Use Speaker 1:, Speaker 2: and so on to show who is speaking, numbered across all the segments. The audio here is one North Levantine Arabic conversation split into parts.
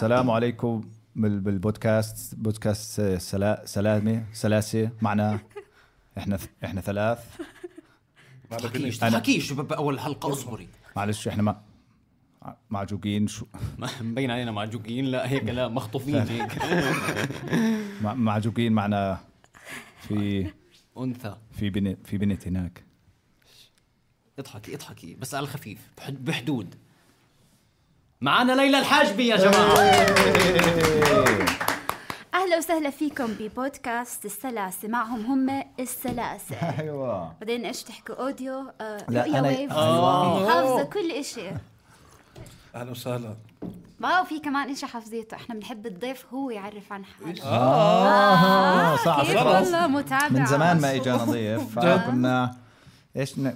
Speaker 1: السلام عليكم بالبودكاست بودكاست سلاسة معنا احنا ثلاث.
Speaker 2: تحكيش بأول حلقة اصبري
Speaker 1: معلش احنا معجوقين شو
Speaker 2: مبين علينا معجوقين. لا هيك لا مخطوفين هيك
Speaker 1: معجوقين معنا في
Speaker 2: أنثى
Speaker 1: في بنت هناك.
Speaker 2: اضحكي بس على الخفيف بحدود. معنا ليلى الحاجبي يا جماعة.
Speaker 3: أهلا وسهلا فيكم ببودكاست السلاسة. معهم هم السلاسة.
Speaker 1: أيوة.
Speaker 3: بعدين إيش تحكوا أوديو
Speaker 1: لا أنا
Speaker 3: حافظة كل إشي.
Speaker 4: أهلا وسهلا.
Speaker 3: واو في كمان إشي حافظيته. إحنا بنحب الضيف هو يعرف عن حاله.
Speaker 1: صح.
Speaker 3: كيف والله متابعة
Speaker 1: من زمان ما إجانا ضيف فكنا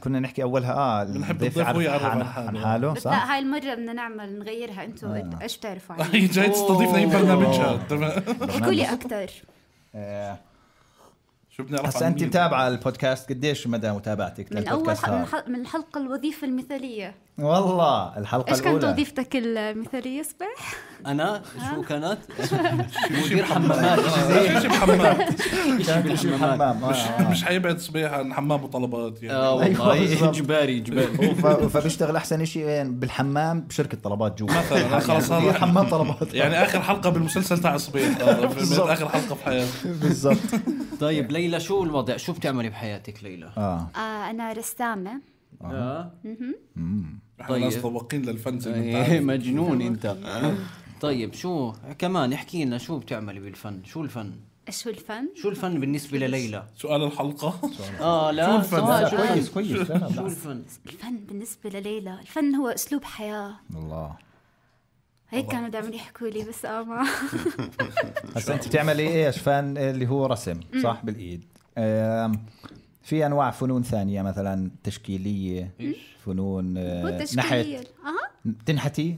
Speaker 1: كنا نحكي أولها
Speaker 4: بنحب الضيف هو يعرف
Speaker 1: عن حاله
Speaker 3: بس
Speaker 1: صح؟
Speaker 3: لا هاي المرة بدنا نعمل نغيرها. أنتوا إيش بتعرفوا عنه؟
Speaker 4: هي جاي تستضيفنا أي برنامجها. تمام.
Speaker 3: احكوا لي أكتر.
Speaker 4: شو بنعرف
Speaker 1: هسا أنت متابعة البودكاست قديش مدى متابعتك للبودكاست
Speaker 3: من الحلقة الوظيفة المثالية.
Speaker 1: والله الحلقة
Speaker 3: إيش
Speaker 1: الأولى
Speaker 3: كانت وظيفتك المثالية صباح؟
Speaker 2: أنا شو كانت؟ مدير حمامات.
Speaker 4: شيء بالحمام. مش حيبعد صبيح عن حمام وطلبات يعني.
Speaker 2: والله إجباري.
Speaker 1: فبيشتغل أحسن شيء وين بالحمام بشركة طلبات جوا
Speaker 4: مثلا خلاص هذا
Speaker 1: حمام طلبات
Speaker 4: يعني آخر حلقة بالمسلسل تاع صبيح. آخر حلقة في حياتي
Speaker 1: بالضبط.
Speaker 2: طيب ليلى شو الوضع؟ شو بتعملي بحياتك ليلى؟
Speaker 3: أنا رسامة.
Speaker 4: احنا ناس ذواقين للفن زي ما انت عارف.
Speaker 2: مجنون انت. طيب شو كمان احكي لنا شو بتعملي بالفن؟ شو الفن بالنسبة لليلى؟
Speaker 4: سؤال الحلقة.
Speaker 2: لا
Speaker 4: شو الفن؟
Speaker 1: كويس
Speaker 2: شو الفن؟
Speaker 3: الفن بالنسبة لليلى الفن هو أسلوب حياة.
Speaker 1: الله
Speaker 3: هيك كانوا دائما يحكوا لي بس ما
Speaker 1: هسا انت بتعملي ايش فن اللي هو رسم صح بالايد؟ في انواع فنون ثانيه مثلا تشكيليه فنون نحت تنحتي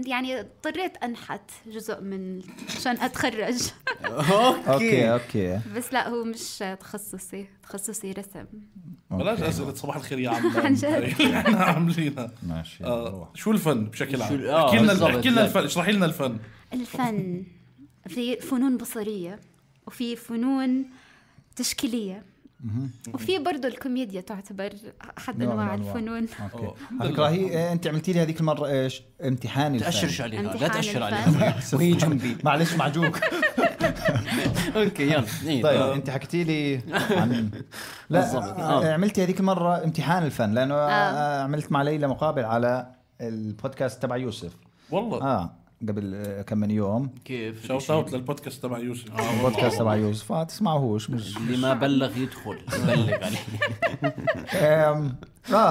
Speaker 3: يعني اضطريت انحت جزء من عشان اتخرج.
Speaker 1: اوكي
Speaker 3: بس لا هو مش تخصصي رسم.
Speaker 4: بلاش أسئلة صباح الخير يا عم.
Speaker 3: عن جد
Speaker 4: احنا عاملينها
Speaker 1: ماشي.
Speaker 4: شو الفن بشكل عام؟ احكي لنا الفن. اشرحي لنا الفن.
Speaker 3: الفن في فنون بصرية وفي فنون تشكيلية وفي برضو الكوميديا تعتبر أحد أنواع الفنون.
Speaker 1: فكرة هي أنت عملتي لي هذيك المرة إيش امتحان الفن.
Speaker 2: تأشرش عليها لا تأشر عليها وهي جنبي.
Speaker 1: معلش معجوق.
Speaker 2: أوكي يلا.
Speaker 1: طيب أنت حكيتي لي عن لا عملتي هذيك المرة امتحان الفن لأنه عملت مع ليلى مقابل على البودكاست تبع يوسف.
Speaker 4: والله
Speaker 1: قبل كم من يوم.
Speaker 2: كيف
Speaker 4: شوت اوت للبودكاست تبع يوسف.
Speaker 1: البودكاست تبع يوسف تسمعوهوش مش
Speaker 2: اللي ما بلغ يدخل بلغ
Speaker 1: عليه.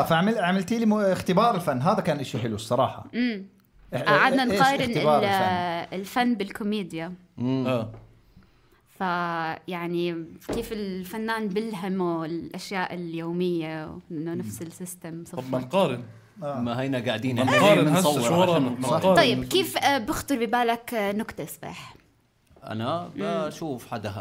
Speaker 1: فعملتي لي اختبار الفن. هذا كان إشي حلو الصراحة.
Speaker 3: قعدنا نقارن الفن بالكوميديا. فيعني كيف الفنان بلهمه الأشياء اليومية إنه نفس السيستم.
Speaker 4: طب ما نقارن.
Speaker 2: ما هينا قاعدين
Speaker 4: نقارن هسه شو ورانا.
Speaker 3: طيب كيف بخطر ببالك نكتة صباح؟
Speaker 2: أنا بشوف حدا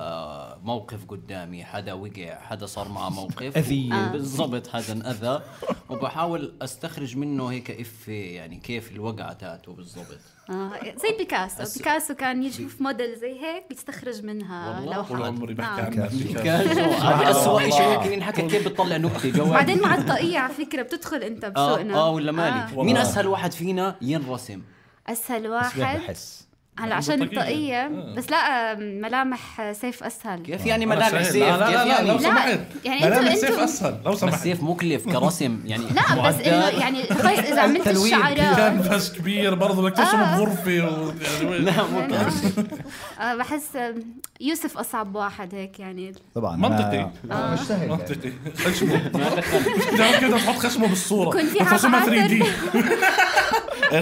Speaker 2: موقف قدامي، حدا وقع، حدا صار معه موقف بالضبط، حدا انأذى وبحاول أستخرج منه هيك يعني كيف الوقعة تاعته بالضبط.
Speaker 3: زي بيكاسو كان يشوف موديل زي هيك بيستخرج منها لوحات.
Speaker 4: والله عمري بحكي عن
Speaker 2: بيكاسو. هذا أسوأ شيء ممكن ينحكى كيف بتطلع نكتة جواب.
Speaker 3: بعدين مع الطاقية على فكرة بتدخل أنت بسوقنا.
Speaker 2: ولا مالي. مين أسهل واحد فينا ينرسم؟
Speaker 3: أسهل واحد هلا عشان الطاقية بس لا ملامح سيف أسهل.
Speaker 2: كيف يعني ملامح سيف؟
Speaker 4: لا لو سمحت
Speaker 3: يعني
Speaker 4: ملامح سيف أسهل لو سمحت.
Speaker 2: سيف مكلف كرسم يعني.
Speaker 3: لا بس إنه يعني خلاص إذا عملت الشعراء
Speaker 4: كان بس كبير برضه بدك ترسمه بغرفة
Speaker 2: لا مو
Speaker 3: بحس يوسف أصعب واحد هيك يعني.
Speaker 1: طبعا
Speaker 4: منطقي
Speaker 1: مش سهل
Speaker 4: منطقي. خشمه جرب كده تحط خشمه بالصورة
Speaker 3: يكون في
Speaker 4: ترسمها 3D.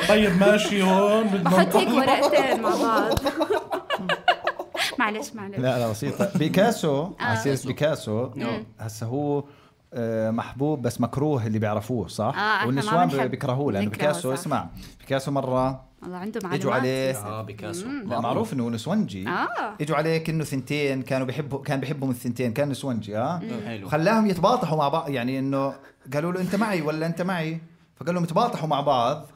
Speaker 4: طيب ماشي هون
Speaker 3: بحط هيك ورقتين مع بعض. معلش
Speaker 1: لا بسيطة. بيكاسو عسير بيكاسو هسه هو محبوب بس مكروه اللي بيعرفوه صح. والنسوان بيكرهوه لأنه بيكاسو اسمع بيكاسو مرة
Speaker 3: والله عنده معلومات.
Speaker 1: اجوا عليه
Speaker 2: بيكاسو
Speaker 1: معروف انه نسونجي. اجوا عليه كأنه ثنتين كان بيحبهم الثنتين كان نسونجي وخلاهم يتباطحوا مع بعض يعني انه قالوا له انت معي ولا انت معي فقال لهم يتباطحوا مع بعض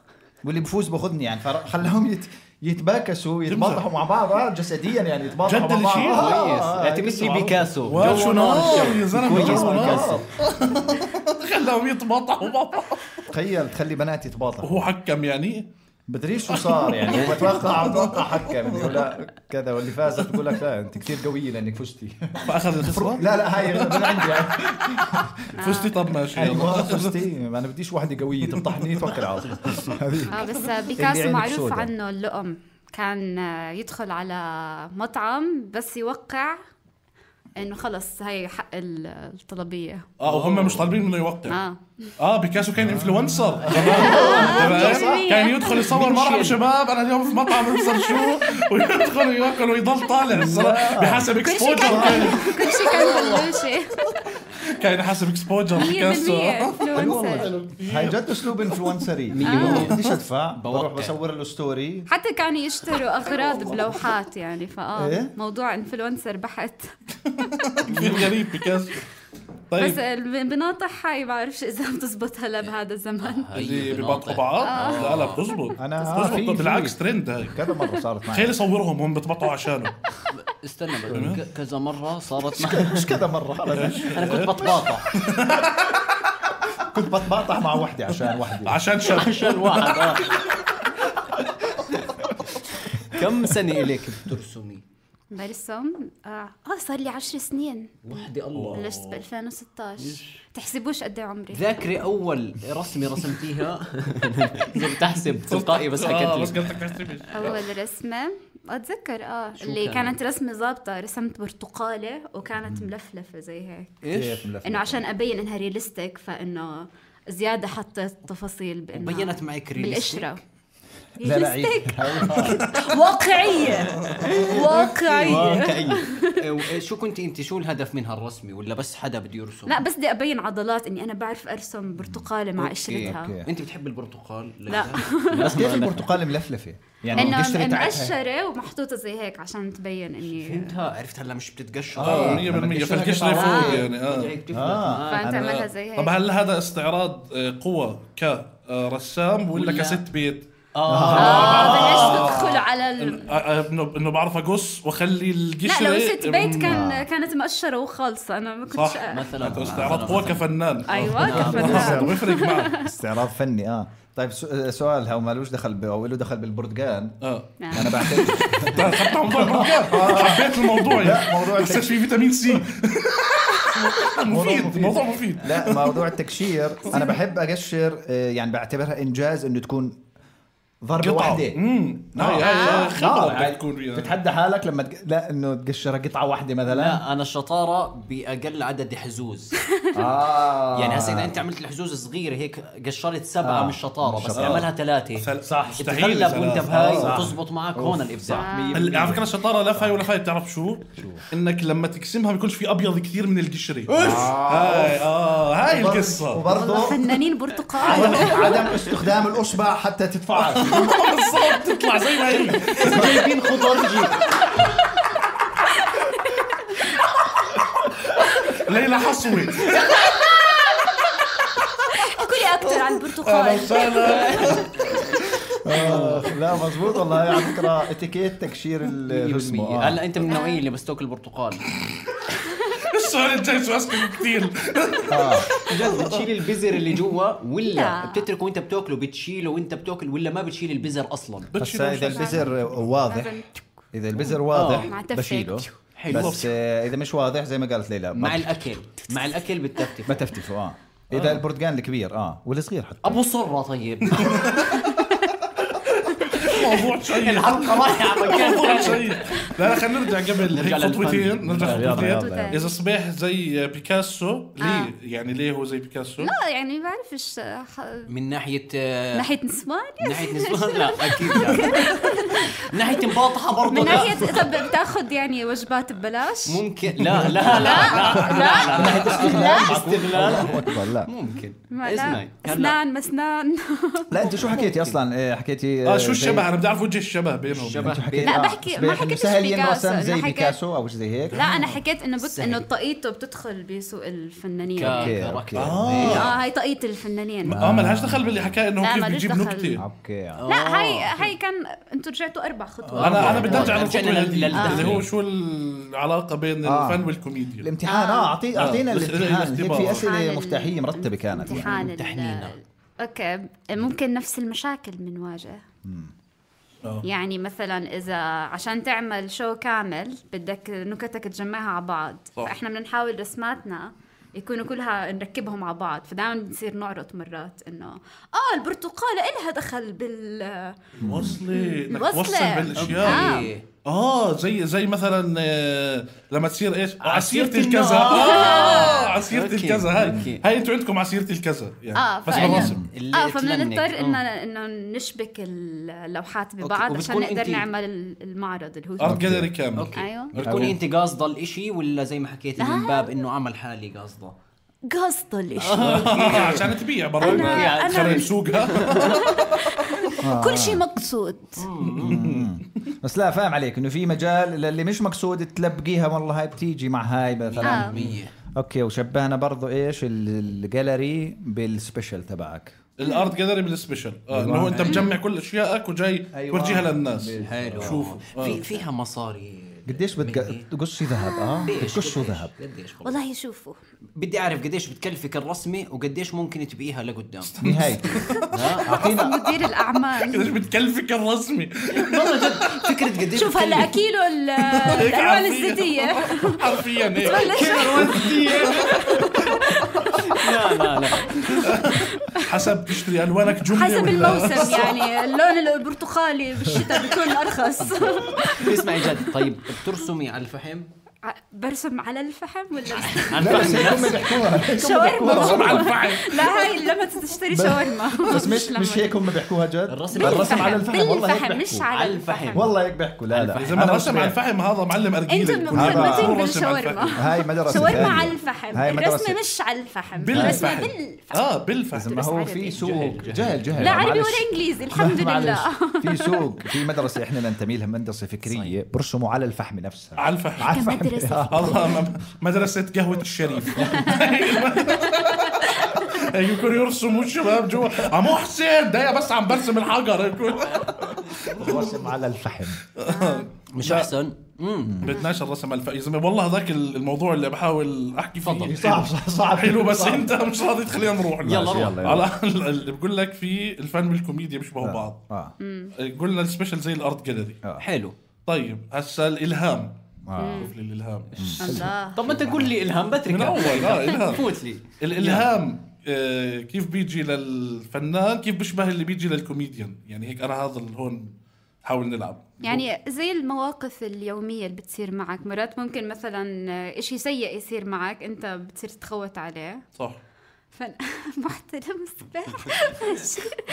Speaker 1: واللي بفوز باخذني يعني فخلاهم يتباكسوا يتباطحوا مع بعض جسديا يعني يتباطحوا مع بعض
Speaker 2: كويس اعتمد بيكاسو
Speaker 4: وشو نار يا زلمه بيكاسو خلاهم يتباطحوا مع بعض.
Speaker 1: تخيل تخلي بنات يتباطحوا
Speaker 4: وهو حكم يعني
Speaker 1: بدريش شو صار يعني هو بتوقع حكم يقول لا كذا واللي فازت تقول لك لا انت كثير قويه لانك فزتي
Speaker 4: فاخذ الخساره.
Speaker 1: لا هاي من عندي يعني.
Speaker 4: فزتي طب ماشي
Speaker 1: فزتي انا بديش وحده قويه تمطحني توكل على الله.
Speaker 3: بس بيكاسو معروف عنه اللؤم كان يدخل على مطعم بس يوقع انه خلص هاي حق الطلبيه
Speaker 4: وهم مش طالبين منه يوقع. بيكاسو كان انفلونسر كان يدخل يصور مرحبا شباب انا اليوم في مطعم ابصر شو ويدخل ياكل ويضل طالع الصراحه بحسب اكسبوجر
Speaker 3: كل شيء كان بلوشي
Speaker 4: كان حسب اكسبوجر بيكاسو.
Speaker 1: هاي جد اسلوب انفلونسري بديش ادفع بروح بصور له ستوري.
Speaker 3: حتى كانوا يشتروا اغراض بلوحات يعني موضوع انفلونسر بحت
Speaker 4: كثير غريب بيكاسو. طيب
Speaker 3: بس بناطح هاي ما بعرفش اذا بتزبط هلا بهذا الزمان
Speaker 4: اللي بيبطحوا بعض. لا بتزبط بتزبط بالعكس ترند هاي
Speaker 1: كذا مره صارت معي.
Speaker 4: خلي صورهم هم بتبطحوا عشانه.
Speaker 2: استنى كذا مره صارت معي
Speaker 1: مش كذا مره
Speaker 2: انا كنت بتباطح
Speaker 1: كنت بتباطح مع وحده
Speaker 4: عشان
Speaker 2: واحد كم سنه اليك بترسمي؟
Speaker 3: برسم صار لي 10 سنين
Speaker 2: وحدي الله
Speaker 3: بلشت ب 2016 تحسبوش قد ايه عمري.
Speaker 2: ذاكري اول رسمه رسمتيها اذا بتحسب تلقائي بس حكيت
Speaker 3: لي اول رسمه اتذكر اللي كانت رسمه ظابطه رسمت برتقاله وكانت ملفلفه زي هيك انه عشان ابين انها رياليستيك فانه زياده حطيت تفاصيل بانه
Speaker 2: بينت معك
Speaker 3: بالقشره
Speaker 1: لا
Speaker 3: واقعية
Speaker 2: شو كنت انت شو الهدف من هالرسمه ولا بس حدا بده يرسم؟
Speaker 3: لا بس بدي ابين عضلات اني انا بعرف ارسم برتقاله مع قشرتها.
Speaker 2: انت بتحب البرتقال؟
Speaker 3: لا
Speaker 1: بس كيف البرتقال ملفلفه يعني
Speaker 3: انه مقشره ومحطوطه زي هيك عشان تبين اني
Speaker 2: فهمتها. عرفت هلا مش بتتقشر
Speaker 4: 100% فالقشره فوق يعني
Speaker 3: فانت عملها زي هيك.
Speaker 4: طب هل هذا استعراض قوة كرسام ولا كست بيت؟
Speaker 3: بلشت تدخل على
Speaker 4: انه بعرف اقص واخلي القشره.
Speaker 3: لا لو ست بيت كانت مقشره وخالصه انا ما كنتش
Speaker 4: مثلا استعراض قوة كفنان.
Speaker 3: ايوه كفنان
Speaker 4: بيفرق معك
Speaker 1: استعراض فني. طيب سؤال هو مالوش دخل او له دخل بالبرتقال. انا بعتقد
Speaker 4: خدت موضوع البرتقال حبيت الموضوع يعني بس في فيتامين سي موضوع مفيد.
Speaker 1: لا موضوع التقشير انا بحب اقشر يعني بعتبرها انجاز انه تكون ضربة واحدة.
Speaker 4: خبرة بتكون
Speaker 1: تتحدى حالك لما لا انه تقشر قطعة واحدة مثلا.
Speaker 2: لا انا الشطارة باقل عدد حزوز. يعني هسه اذا انت عملت الحزوز صغيرة هيك قشرت 7 من الشطارة بس تعملها 3
Speaker 4: صح.
Speaker 2: تتغلب وانت بهاي وتزبط معك هون الابداع.
Speaker 4: على فكرة الشطارة لا فاي ولا فاي. بتعرف شو انك لما تقسمها بيكونش في ابيض كثير من القشرة. هاي القصة.
Speaker 3: وبرضه فنانين برتقال
Speaker 1: عدم استخدام الاصبع حتى تتفاعل
Speaker 4: بالضبط تطلع زي ما هي.
Speaker 2: جايبين خضار
Speaker 4: ليلى حصوي
Speaker 3: احكوا لي اكثر عن البرتقال.
Speaker 1: لا مزبوط والله على فكرة اتيكيت تقشير الرسم.
Speaker 2: هلا انت من النوعية اللي بس تاكل برتقال.
Speaker 4: السؤال الجاي سؤال كثير.
Speaker 2: بتشيل البذر اللي جوا ولا بتتركه وانت بتاكله بتشيله وانت بتاكل ولا ما بتشيل البذر اصلا؟
Speaker 1: بس اذا البذر واضح بشيله بس اذا مش واضح زي ما قالت ليلى
Speaker 2: مع الاكل بتفتف
Speaker 1: ما تفتفوا اذا البرتقال الكبير والصغير حتى
Speaker 2: ابو صرة. طيب
Speaker 4: موضوع شيء
Speaker 2: الحلقة رايحة مكان
Speaker 4: شيء. لا خلينا نرجع قبل هيك خطوتين. إذا صبيح زي بيكاسو ليه هو زي بيكاسو؟
Speaker 3: لا يعني ما بعرفش
Speaker 2: من ناحية
Speaker 3: نسوان
Speaker 2: لا أكيد لا. من ناحية مباطحة برضه
Speaker 3: من ناحية طب بتاخد يعني وجبات ببلاش
Speaker 2: ممكن. لا
Speaker 1: لا
Speaker 2: ممكن
Speaker 3: اسنان مسنان.
Speaker 1: لا انت شو حكيتي اصلا؟ حكيتي
Speaker 4: شو الشبه؟ انا بدي اعرف وجه الشبه بينهم.
Speaker 3: لا بحكي ما حكيتش بيكاسو
Speaker 1: زي بيكاسو او زي هيك.
Speaker 3: لا انا حكيت انه طاقيته بتدخل بسوق الفنانين.
Speaker 2: اوكي
Speaker 3: هاي طاقية الفنانين.
Speaker 4: ما لهاش دخل باللي حكى انه كيف بيجيب نكته.
Speaker 1: اوكي
Speaker 3: لا هاي كان انتوا رجعتوا 4 خطوات.
Speaker 4: انا بدي ارجع اللي هو شو العلاقه بين الفن والكوميديا.
Speaker 1: الامتحان اعطينا الامتحان. هيك في اسئله مفتاحيه مرتبه كانت.
Speaker 3: امتحان اوكي ممكن نفس المشاكل بنواجه. يعني مثلا إذا عشان تعمل شو كامل بدك نكتك تجمعها على بعض، فإحنا بنحاول رسماتنا يكونوا كلها نركبهم على بعض، فدائما بنصير نعرض مرات إنه البرتقالة إلها دخل
Speaker 4: وصل بالأشياء. زي مثلا لما تصير ايش عسيرة الكذا. عسيرة الكذا هاي انتوا عندكم عسيرة الكذا يعني بس بالرسم.
Speaker 3: فبنضطر انه نشبك اللوحات ببعض عشان نقدر نعمل المعرض اللي هو
Speaker 4: ارت جاليري كامل.
Speaker 3: ايوه
Speaker 2: بتكوني انت قاصده الاشي ولا زي ما حكيتي من باب انه عمل حالي قاصده
Speaker 3: الاشي
Speaker 4: عشان تبيع برا تخرب سوقها.
Speaker 3: كل شيء مقصود.
Speaker 1: بس لا فاهم عليك انه في مجال اللي مش مقصود تلبقيها والله هاي بتيجي مع هاي مثلا. اوكي وشبهنا برضو ايش الجاليري بالسبيشال تبعك.
Speaker 4: الارت جاليري بالسبيشال انه انت مجمع كل اشيائك وجاي تورجيها للناس.
Speaker 2: شوفوا فيها مصاري.
Speaker 1: قديش بتقصي ذهب؟ بتقصوا ذهب
Speaker 3: والله. شوفوا
Speaker 2: بدي اعرف قديش بتكلفك الرسمه وقديش ممكن تبيعها لقدام.
Speaker 1: نهاية
Speaker 3: اعطينا مدير الاعمال
Speaker 4: قديش بتكلفك الرسمه.
Speaker 2: والله جد فكره قديش.
Speaker 3: شوف هلا كيلو الالوان الزيتيه
Speaker 4: حرفيا
Speaker 2: كيلو الالوان الزيتيه. لا
Speaker 4: حسب تشتري الوانك جمله
Speaker 3: حسب الموسم يعني اللون البرتقالي بالشتاء بيكون ارخص.
Speaker 2: اسمعي جد. طيب بترسمي على الفحم؟
Speaker 3: برسم على الفحم ولا
Speaker 1: على الفحم؟
Speaker 3: شاورما على الفحم. لا هاي لما تشتري شاورما.
Speaker 1: بس مش هيك هم بيحكوها جد.
Speaker 3: الرسم على الفحم والله مش على الفحم
Speaker 1: والله هيك بيحكوا. لا
Speaker 4: اذا ما رسم على الفحم هذا معلم ارجيله.
Speaker 3: انتم مغلطين بالشاورما.
Speaker 1: هاي مدرسه
Speaker 3: شاورما على الفحم. الرسمه مش على الفحم.
Speaker 4: بالفحم. بالفحم.
Speaker 1: ما هو في سوق جهل.
Speaker 3: لا عربي ولا انجليزي الحمد لله.
Speaker 1: في سوق في مدرسه احنا ننتمي لها مدرسه فكريه برسموا على الفحم نفسها.
Speaker 4: على الفحم. الله مدرسة قهوة الشريف. يكون يرسموا الشباب جوا عمو حسين ده بس عم برسم الحجر يكون
Speaker 1: برسم على الفحم.
Speaker 2: مش أحسن؟
Speaker 4: بدناش الرسم على الفحم. والله هذاك الموضوع اللي بحاول أحكي فيه
Speaker 1: صعب
Speaker 4: حلو بس أنت مش راضي تخلينا نروح.
Speaker 2: يلا
Speaker 4: على اللي بقول لك في الفن والكوميديا بيشبهوا بعض. قلنا السبيشال زي الارت جاليري.
Speaker 2: حلو.
Speaker 4: طيب هسا الإلهام. شوف لي الإلهام.
Speaker 2: طب ما تقول لي إلهام بترك
Speaker 4: من أول إلهام.
Speaker 2: فوت لي
Speaker 4: الإلهام كيف بيجي للفنان كيف بيشبه اللي بيجي للكوميديان يعني هيك. أنا هذا اللي هون حاول نلعب
Speaker 3: يعني زي المواقف اليومية اللي بتصير معك. مرات ممكن مثلا إشي سيء يصير معك أنت بتصير تخوت عليه.
Speaker 4: صح.
Speaker 3: محترم السباح.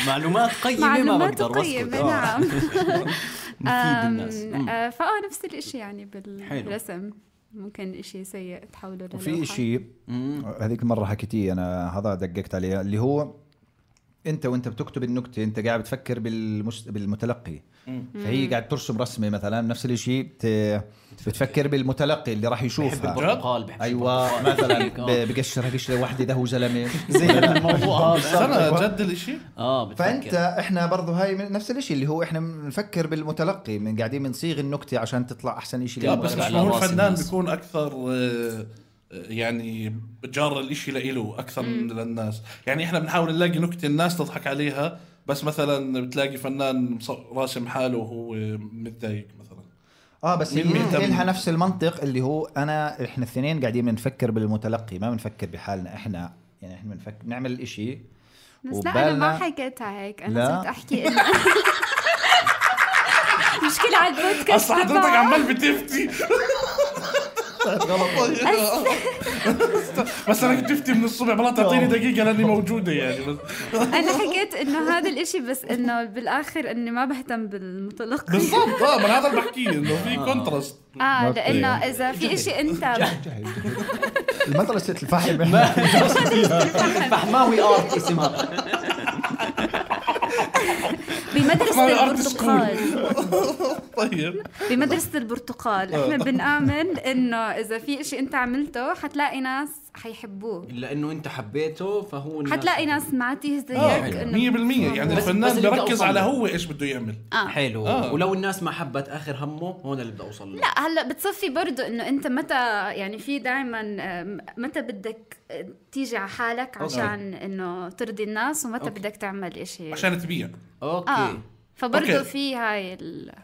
Speaker 2: معلومات قيمة ما بقدر
Speaker 3: وصفك. نعم.
Speaker 2: مفيد الناس.
Speaker 3: نفس الاشي يعني بالرسم ممكن اشي سيء تحوله للوحة.
Speaker 1: وفي اشي هذيك المرة حكيتيه أنا هذا دققت عليه اللي هو أنت وأنت بتكتب النكتة أنت قاعد بتفكر بالمتلقي. فهي قاعد ترسم رسمة مثلا نفس الاشي بتفكر بالمتلقي اللي راح يشوفها. أيوة مثلا بقشرها قشرة واحدة ده هو زلمة زي الموضوع
Speaker 4: هذا جد الاشي.
Speaker 1: فأنت إحنا برضو هاي نفس الاشي اللي هو إحنا بنفكر بالمتلقي من قاعدين بنصيغ النكتة عشان تطلع أحسن اشي.
Speaker 4: بس مش هو الفنان بيكون أكثر يعني بجار الاشي لإله أكثر من للناس. يعني إحنا بنحاول نلاقي نكتة الناس تضحك عليها بس مثلا بتلاقي فنان راسم حاله وهو متضايق مثلا.
Speaker 1: بس هي لها نفس المنطق اللي هو احنا الاثنين قاعدين بنفكر بالمتلقي ما بنفكر بحالنا احنا. يعني احنا بنفكر نعمل الاشي
Speaker 3: بس لا انا ما حكيتها هيك. انا صرت احكي انه مشكلة على البودكاست.
Speaker 4: اصلا حضرتك عمال بتفتي
Speaker 1: غلط.
Speaker 4: بس انا كنت افتي من الصبح بلا تعطيني دقيقه لاني موجوده يعني. بس
Speaker 3: انا حكيت انه هذا الاشي بس انه بالاخر اني ما بهتم بالمتلقي
Speaker 4: بالضبط. من هذا اللي بحكيه انه في كونتراست.
Speaker 3: لانه اذا في اشي انت
Speaker 1: المدرسه الفحم
Speaker 2: الفحماوي ارت اسمها.
Speaker 3: بمدرسة البرتقال.
Speaker 4: طيب
Speaker 3: بمدرسة البرتقال احنا بنآمن انه اذا في اشي انت عملته حتلاقي ناس حيحبوه،
Speaker 2: الا انه انت حبيته فهو
Speaker 3: حتلاقي ناس معتيه زيك.
Speaker 4: 100% يعني الفنان بيركز على هو ايش بده يعمل.
Speaker 2: حلو. ولو الناس ما حبت اخر همه هون اللي بدي اوصل له.
Speaker 3: لا هلا بتصفي برضو انه انت متى يعني في دائما متى بدك تيجي على حالك عشان انه ترضي الناس، ومتى بدك تعمل اشي
Speaker 4: عشان تبيع.
Speaker 2: اوكي.
Speaker 3: فبرضو في هاي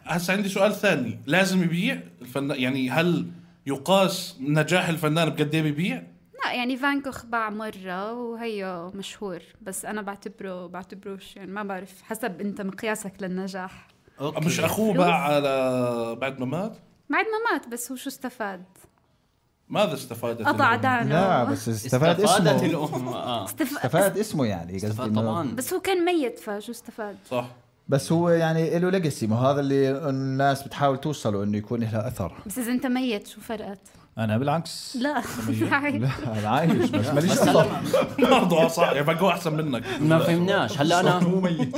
Speaker 4: هسا عندي سؤال ثاني، لازم يبيع الفنان؟ يعني هل يقاس نجاح الفنان بقد ايه بيبيع؟
Speaker 3: لا يعني فان كوخ باع مرة وهي مشهور، بس أنا بعتبروش يعني ما بعرف حسب أنت مقياسك للنجاح.
Speaker 2: أوكي.
Speaker 4: مش أخوه باع على بعد ما مات؟
Speaker 3: بعد ما مات، بس هو شو استفاد؟
Speaker 4: ماذا استفادت؟
Speaker 3: قطع دانه.
Speaker 1: لا بس استفاد اسمه.
Speaker 2: الأم.
Speaker 1: استفاد اسمه يعني
Speaker 2: استفاد طبعا.
Speaker 3: بس هو كان ميت فشو استفاد؟
Speaker 4: صح.
Speaker 1: بس هو يعني له ليجاسي، ما هذا اللي الناس بتحاول توصله انه يكون له اثر.
Speaker 3: بس اذا انت ميت شو فرقت؟
Speaker 1: انا بالعكس
Speaker 3: لا
Speaker 1: انا عايش بس ماليش اثر
Speaker 4: برضه. صح يعني بقوا احسن منك.
Speaker 2: ما فهمناش. هلا انا هو ميت.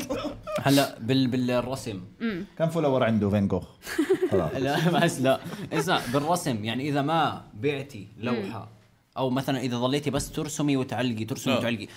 Speaker 2: هلا بالرسم
Speaker 1: كم فولور عنده فان جوخ؟
Speaker 2: لا بس لا اسمع، بالرسم يعني اذا ما بعتي لوحه او مثلا اذا ظليتي بس ترسمي وتعلقي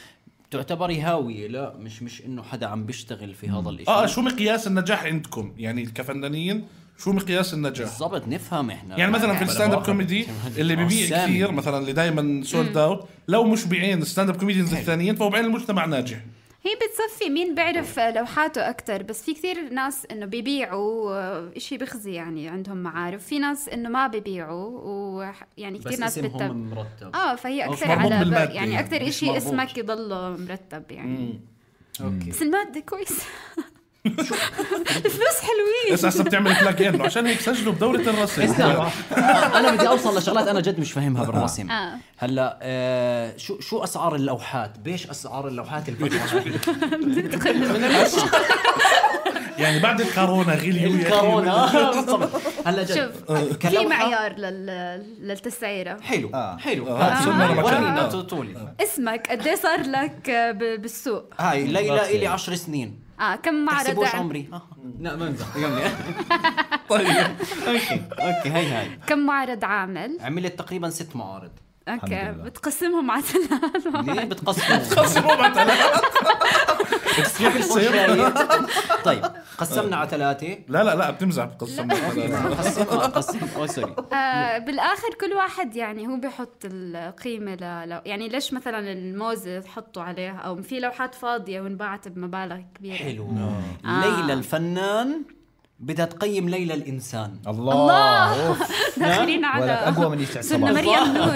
Speaker 2: تعتبري هاوية. لا مش انه حدا عم بيشتغل في هذا الاشي.
Speaker 4: شو مقياس النجاح عندكم يعني كفنانين؟ شو مقياس النجاح
Speaker 2: بالضبط؟ نفهم احنا
Speaker 4: يعني مثلا في الستاند اب كوميدي اللي بيبيع كثير مثلا، اللي دايما سولد اوت، لو مش بعين الستاند اب كوميديانز الثانيين فهو بعين المجتمع ناجح.
Speaker 3: هي بتصفي مين بيعرف لوحاته أكتر. بس في كثير ناس إنه بيبيعوا إشي بخزي يعني عندهم معارف، في ناس إنه ما بيبيعوا، ويعني كثير ناس
Speaker 2: اسمهم مرتب.
Speaker 3: فهي أكثر على يعني أكثر إشي اسمك يضله مرتب يعني.
Speaker 2: أوكي.
Speaker 3: بس المادة كويس. الفلوس حلوين.
Speaker 4: بس هسه بتعمل كلاك إنه عشان هيك سجلوا بدورة الرسم.
Speaker 2: أنا بدي أوصل لشغلات أنا جد مش فاهمها بالرسم. هلا شو أسعار اللوحات؟ بيش أسعار اللوحات
Speaker 4: يعني بعد الكورونا غليوا
Speaker 2: الكورونا. هلا
Speaker 3: جد في معيار للتسعيرة.
Speaker 2: حلو.
Speaker 4: ورينا
Speaker 2: طولي
Speaker 3: اسمك قد ايه صار لك بالسوق؟
Speaker 2: هاي ليلى إلي 10 سنين.
Speaker 3: كم معرض
Speaker 2: عمري؟ لا ما امزح.
Speaker 4: طيب
Speaker 2: اوكي هاي
Speaker 3: كم معرض عامل؟
Speaker 2: عملت تقريبا 6 معارض.
Speaker 3: اوكي بتقسمهم على 3.
Speaker 2: ليه بتقسمهم على 3؟ طيب قسمنا على 3.
Speaker 4: لا بتمزح. بتقسمنا
Speaker 2: قسم سوري.
Speaker 3: بالاخر كل واحد يعني هو بيحط القيمه يعني ليش مثلا الموزه تحطوا عليها، او في لوحات فاضيه وانباعت بمبالغ كبيره.
Speaker 2: حلو. ليلى الفنان بدها تقيم ليلى الإنسان.
Speaker 3: الله داخلين على
Speaker 1: أقوى من يسعد
Speaker 3: سنة مريم نور.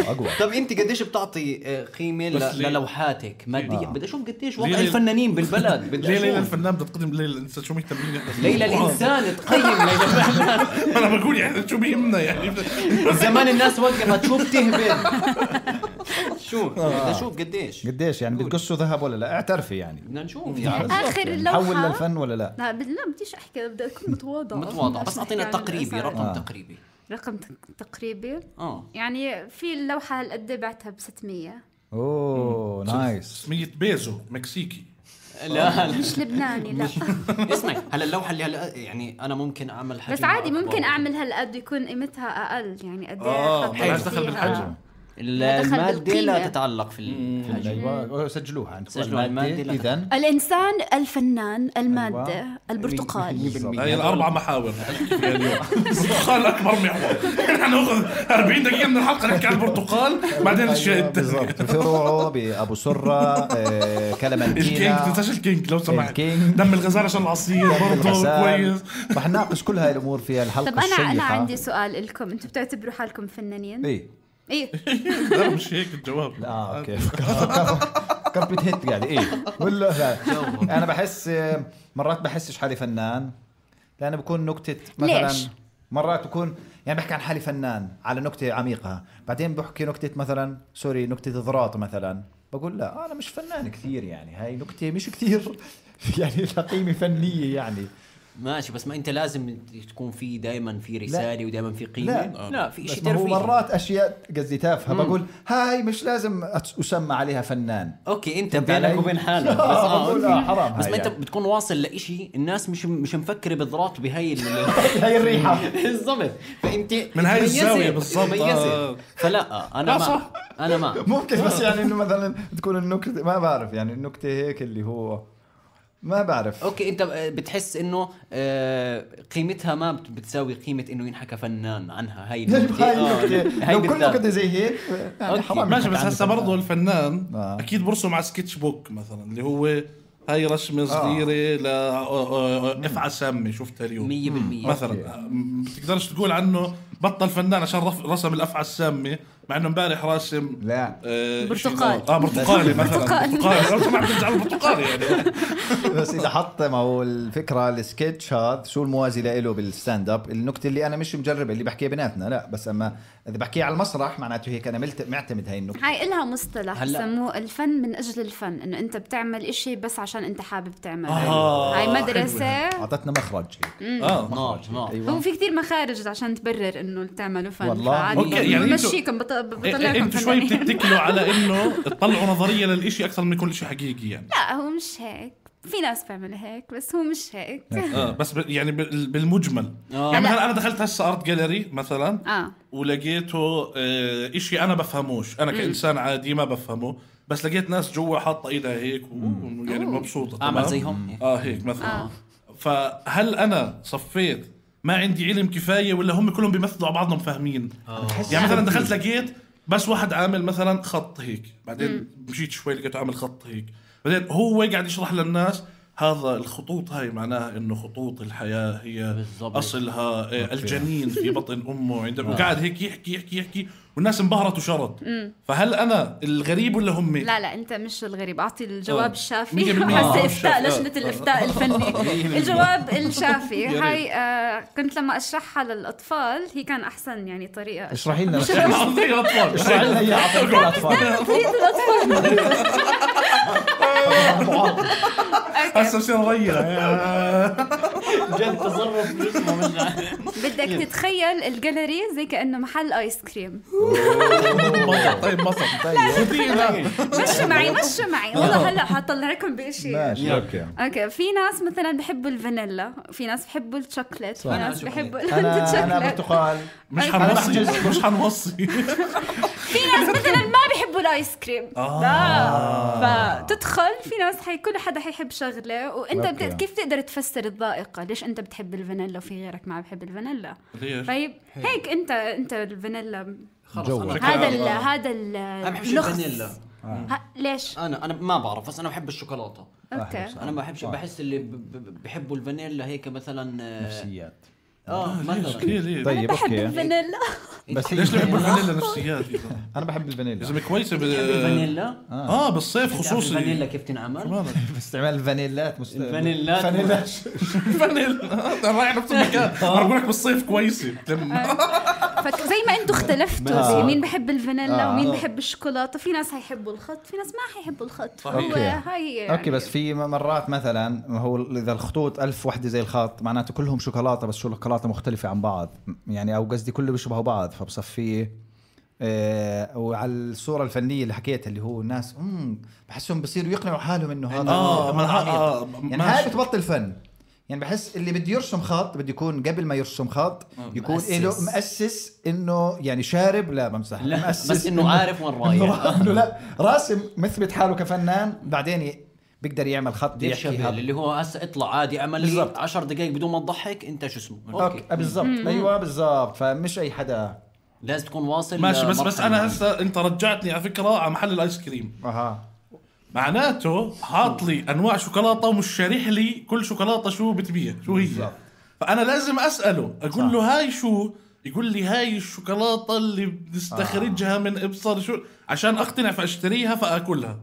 Speaker 1: أقوى.
Speaker 2: طب أنت قديش بتعطي قيمة للوحاتك مادية؟ بدي أشوف قديش وضع الفنانين بالبلد.
Speaker 4: ليلى الفنان بتقدم ليلى الإنسان. شو مهتمين
Speaker 2: ليلى الإنسان تقيم ليلى الفنان.
Speaker 4: أنا بقول يعني شو بيهمنا يعني
Speaker 2: زمان الناس وقفت شو بتهبل. شو بدي أشوف قديش
Speaker 1: يعني بتقصوا ذهب ولا لا؟ اعترفي يعني
Speaker 2: بدنا نشوف
Speaker 3: آخر اللوحة
Speaker 1: حول للفن ولا لا؟
Speaker 3: لا بديش أحكي، بدي أكون متواضع
Speaker 2: بس أعطينا تقريبي رقم تقريبي.
Speaker 3: رقم تقريبي يعني في اللوحة هالقد بعتها ب600.
Speaker 1: اوه نايس.
Speaker 4: 100 بيزو مكسيكي.
Speaker 2: لا
Speaker 3: مش لبناني. لا
Speaker 2: اسمعي هلا اللوحة اللي هلا يعني أنا ممكن أعمل حجم
Speaker 3: بس عادي ممكن أعمل هالقد يكون قيمتها أقل يعني قد
Speaker 4: ايه دخل بالحجم.
Speaker 2: المادة لا تتعلق في الحجم.
Speaker 1: أيوة سجلوها عندكم.
Speaker 2: المادة
Speaker 3: إذن الإنسان، الفنان، المادة، البرتقال.
Speaker 4: هاي ال4 محاور اليوم. البرتقال أكبر محور. نحن نأخذ 40 دقيقة من الحلقة نحكي عن البرتقال، بعدين الشيء
Speaker 1: بالضبط. فروعه بأبو سرة كلمنتينا.
Speaker 4: الكينج تنساش الكينج لو سمحت. دم الغزال عشان العصير برضه كويس.
Speaker 1: رح نناقش كل هاي الأمور في الحلقة الشيقة.
Speaker 3: طب أنا عندي سؤال لكم، أنتم بتعتبروا حالكم فنانين؟
Speaker 1: ايه
Speaker 4: لا مش هيك الجواب.
Speaker 1: اوكي كربت هيت يعني ايه ولا لا. انا بحس مرات بحسش حالي فنان، لانه بكون نكتة مثلا
Speaker 3: ليش؟
Speaker 1: مرات بكون يعني بحكي عن حالي فنان على نكتة عميقة، بعدين بحكي نكتة مثلا نكتة ضراط مثلا، بقول لا انا مش فنان كثير يعني، هاي نكتة مش كثير يعني قيمة فنية يعني.
Speaker 2: ماشي بس ما انت لازم تكون في دائما في رساله ودائما في قيمه. لا في شيء
Speaker 1: ترفيه. مرات اشياء قصدي تافهه بقول هاي مش لازم اسمى عليها فنان.
Speaker 2: اوكي انت بينك وبين حالك بس
Speaker 1: حرام.
Speaker 2: بس ما انت بتكون واصل لإشي الناس مش مفكره بالضبط بهاي
Speaker 1: هاي الريحه
Speaker 2: بالضبط. فانت
Speaker 4: من هاي الزاويه بالضبط.
Speaker 2: فلا انا ما
Speaker 1: ممكن بس يعني انه مثلا تكون النكته ما بعرف يعني النكته هيك اللي هو ما بعرف.
Speaker 2: اوكي انت بتحس انه قيمتها ما بتساوي قيمه انه ينحكى فنان عنها. هاي
Speaker 1: لو كل نكته زي هيك يعني حرام.
Speaker 4: ماشي بس هسه برضه الفنان اكيد برسم على سكتش بوك مثلا اللي هو هاي رسمه صغيره لافعى سامه شفتها اليوم
Speaker 2: 100%
Speaker 4: مثلا. بتقدرش تقول عنه بطل فنان عشان رسم الافعى السامه مع انه امبارح راسم
Speaker 1: لا
Speaker 3: برتقال
Speaker 4: برتقالي مثلا برتقالي ما بتنزل برتقالي يعني.
Speaker 1: بس اذا حط ما هو الفكره السكتش هذا شو الموازي له بالستاند اب. النكته اللي انا مش مجربه اللي بحكيها بيناتنا لا بس اما اذا بحكيها على المسرح معناته هيك انا معتمد هاي النكته.
Speaker 3: هاي إلها مصطلح بسموه الفن من اجل الفن انه انت بتعمل إشي بس عشان انت حابب تعمله. هاي مدرسه
Speaker 1: اعطتنا مخرج هيك.
Speaker 3: هو في كتير مخارج عشان تبرر انه تعملوا فن.
Speaker 1: والله
Speaker 4: يعني
Speaker 3: مشيكم بطلعكم
Speaker 4: انتوا شوي بتتكلوا على انه تطلعوا نظريه للإشي اكثر من كل شيء حقيقي يعني.
Speaker 3: لا هو مش هيك. في ناس بيعملوا هيك بس هو مش هيك.
Speaker 4: بس يعني بالمجمل يعني مثلا انا دخلت هسه ارت جاليري مثلا ولقيته إشي انا بفهموش انا كإنسان عادي ما بفهمه بس لقيت ناس جوا حاطه ايدها هيك يعني مبسوطه
Speaker 2: اعمل زيهم
Speaker 4: هيك مثلا. فهل انا صفيت ما عندي علم كفايه ولا هم كلهم بيمثلوا على بعضهم فاهمين؟ يعني مثلا دخلت لقيت بس واحد عامل مثلا خط هيك بعدين مشيت شوي لقيته عامل خط هيك بعدين هو قاعد يشرح للناس هذا الخطوط هاي معناها انه خطوط الحياه هي بالزبط. اصلها الجنين في بطن امه عندما وقاعد هيك يحكي والناس انبهرت وشرط. فهل انا الغريب ولا هم؟
Speaker 3: لا انت مش الغريب. اعطي الجواب الشافي. هسه افتاء لجنه الافتاء الفني. الجواب الشافي هاي كنت لما اشرحها للاطفال هي كان احسن يعني طريقه.
Speaker 1: اشرحي لنا
Speaker 4: اشرحي لنا
Speaker 1: يا اطفال.
Speaker 4: هسه بصير نغير
Speaker 2: جد تصرف
Speaker 3: بدك تتخيل الجاليري زي كأنه محل آيس كريم.
Speaker 4: طيب
Speaker 3: مشوا معي والله هلا حطلع لكم بشيء.
Speaker 1: ماشي
Speaker 3: اوكي في ناس مثلا بحبوا الفانيلا في ناس بحبوا الشوكليت في ناس بحبوا
Speaker 1: انا برتقال
Speaker 4: مش حنوصي
Speaker 3: في ناس مثلا ما بيحبوا الايس كريم. فتدخل في ناس كل حدا حيحب شغله وانت كيف تقدر تفسر الذائقه ليش انت بتحب الفانيلا وفي غيرك ما بحب الفانيلا. طيب هيك انت الفانيلا هذا
Speaker 2: انا بحب الفانيلا.
Speaker 3: ليش
Speaker 2: انا ما بعرف بس انا بحب الشوكولاته.
Speaker 3: اوكي
Speaker 2: انا ما بحبش بحس اللي بحبوا الفانيلا هيك مثلا
Speaker 1: نفسيات.
Speaker 4: مثلا
Speaker 1: طيب
Speaker 3: بحب الفانيلا
Speaker 1: بس
Speaker 4: ليش بحب الفانيلا نفسيات؟
Speaker 1: انا بحب الفانيلا
Speaker 4: اذا كويسه
Speaker 2: الفانيلا
Speaker 4: بالصيف خصوصي.
Speaker 2: الفانيلا كيف تنعمل؟
Speaker 1: باستعمال الفانيلات
Speaker 2: الفانيلات
Speaker 4: فانيلا رايح نفس المكان. بقول لك بالصيف كويسه.
Speaker 3: زي ما انتم اختلفتوا زي مين بحب الفانيلا ومين بحب الشوكولاته. في ناس هيحبوا الخط في ناس ما هيحبوا الخط.
Speaker 1: اوكي بس في مرات مثلا هو اذا الخطوط 1000 وحده زي الخط معناته كلهم شوكولاته بس شوكولاته مختلفه عن بعض يعني او قصدي كله بيشبهوا بعض فبصفيه. وعلى الصوره الفنيه اللي حكيتها اللي هو الناس بحسهم بصيروا يقنعوا حالهم انه هذا يعني هاي بتبطل فن. يعني بحس اللي بده يرسم خط بده يكون قبل ما يرسم خط يكون له مؤسس انه يعني شارب لا بمزح
Speaker 2: بس انه عارف وين رايح.
Speaker 1: انه لا راسم مثبت حاله كفنان بعدين بيقدر يعمل خط
Speaker 2: يحكي اللي هو هسه اطلع عادي اعمل لي 10 دقائق بدون ما تضحك انت شو اسمه.
Speaker 1: اوكي بالضبط ايوه بالضبط. فمش اي حدا
Speaker 2: لازم تكون واصل.
Speaker 4: ماشي بس انا هسه انت رجعتني على فكره على محل الايس كريم. معناته حاط لي انواع شوكولاته ومش شارح لي كل شوكولاته شو بتبيع شو هي بالزبط. فانا لازم اساله اقول له هاي شو يقول لي هاي الشوكولاته اللي بنستخرجها من ابصر شو عشان اقتنع فاشتريها فاكلها.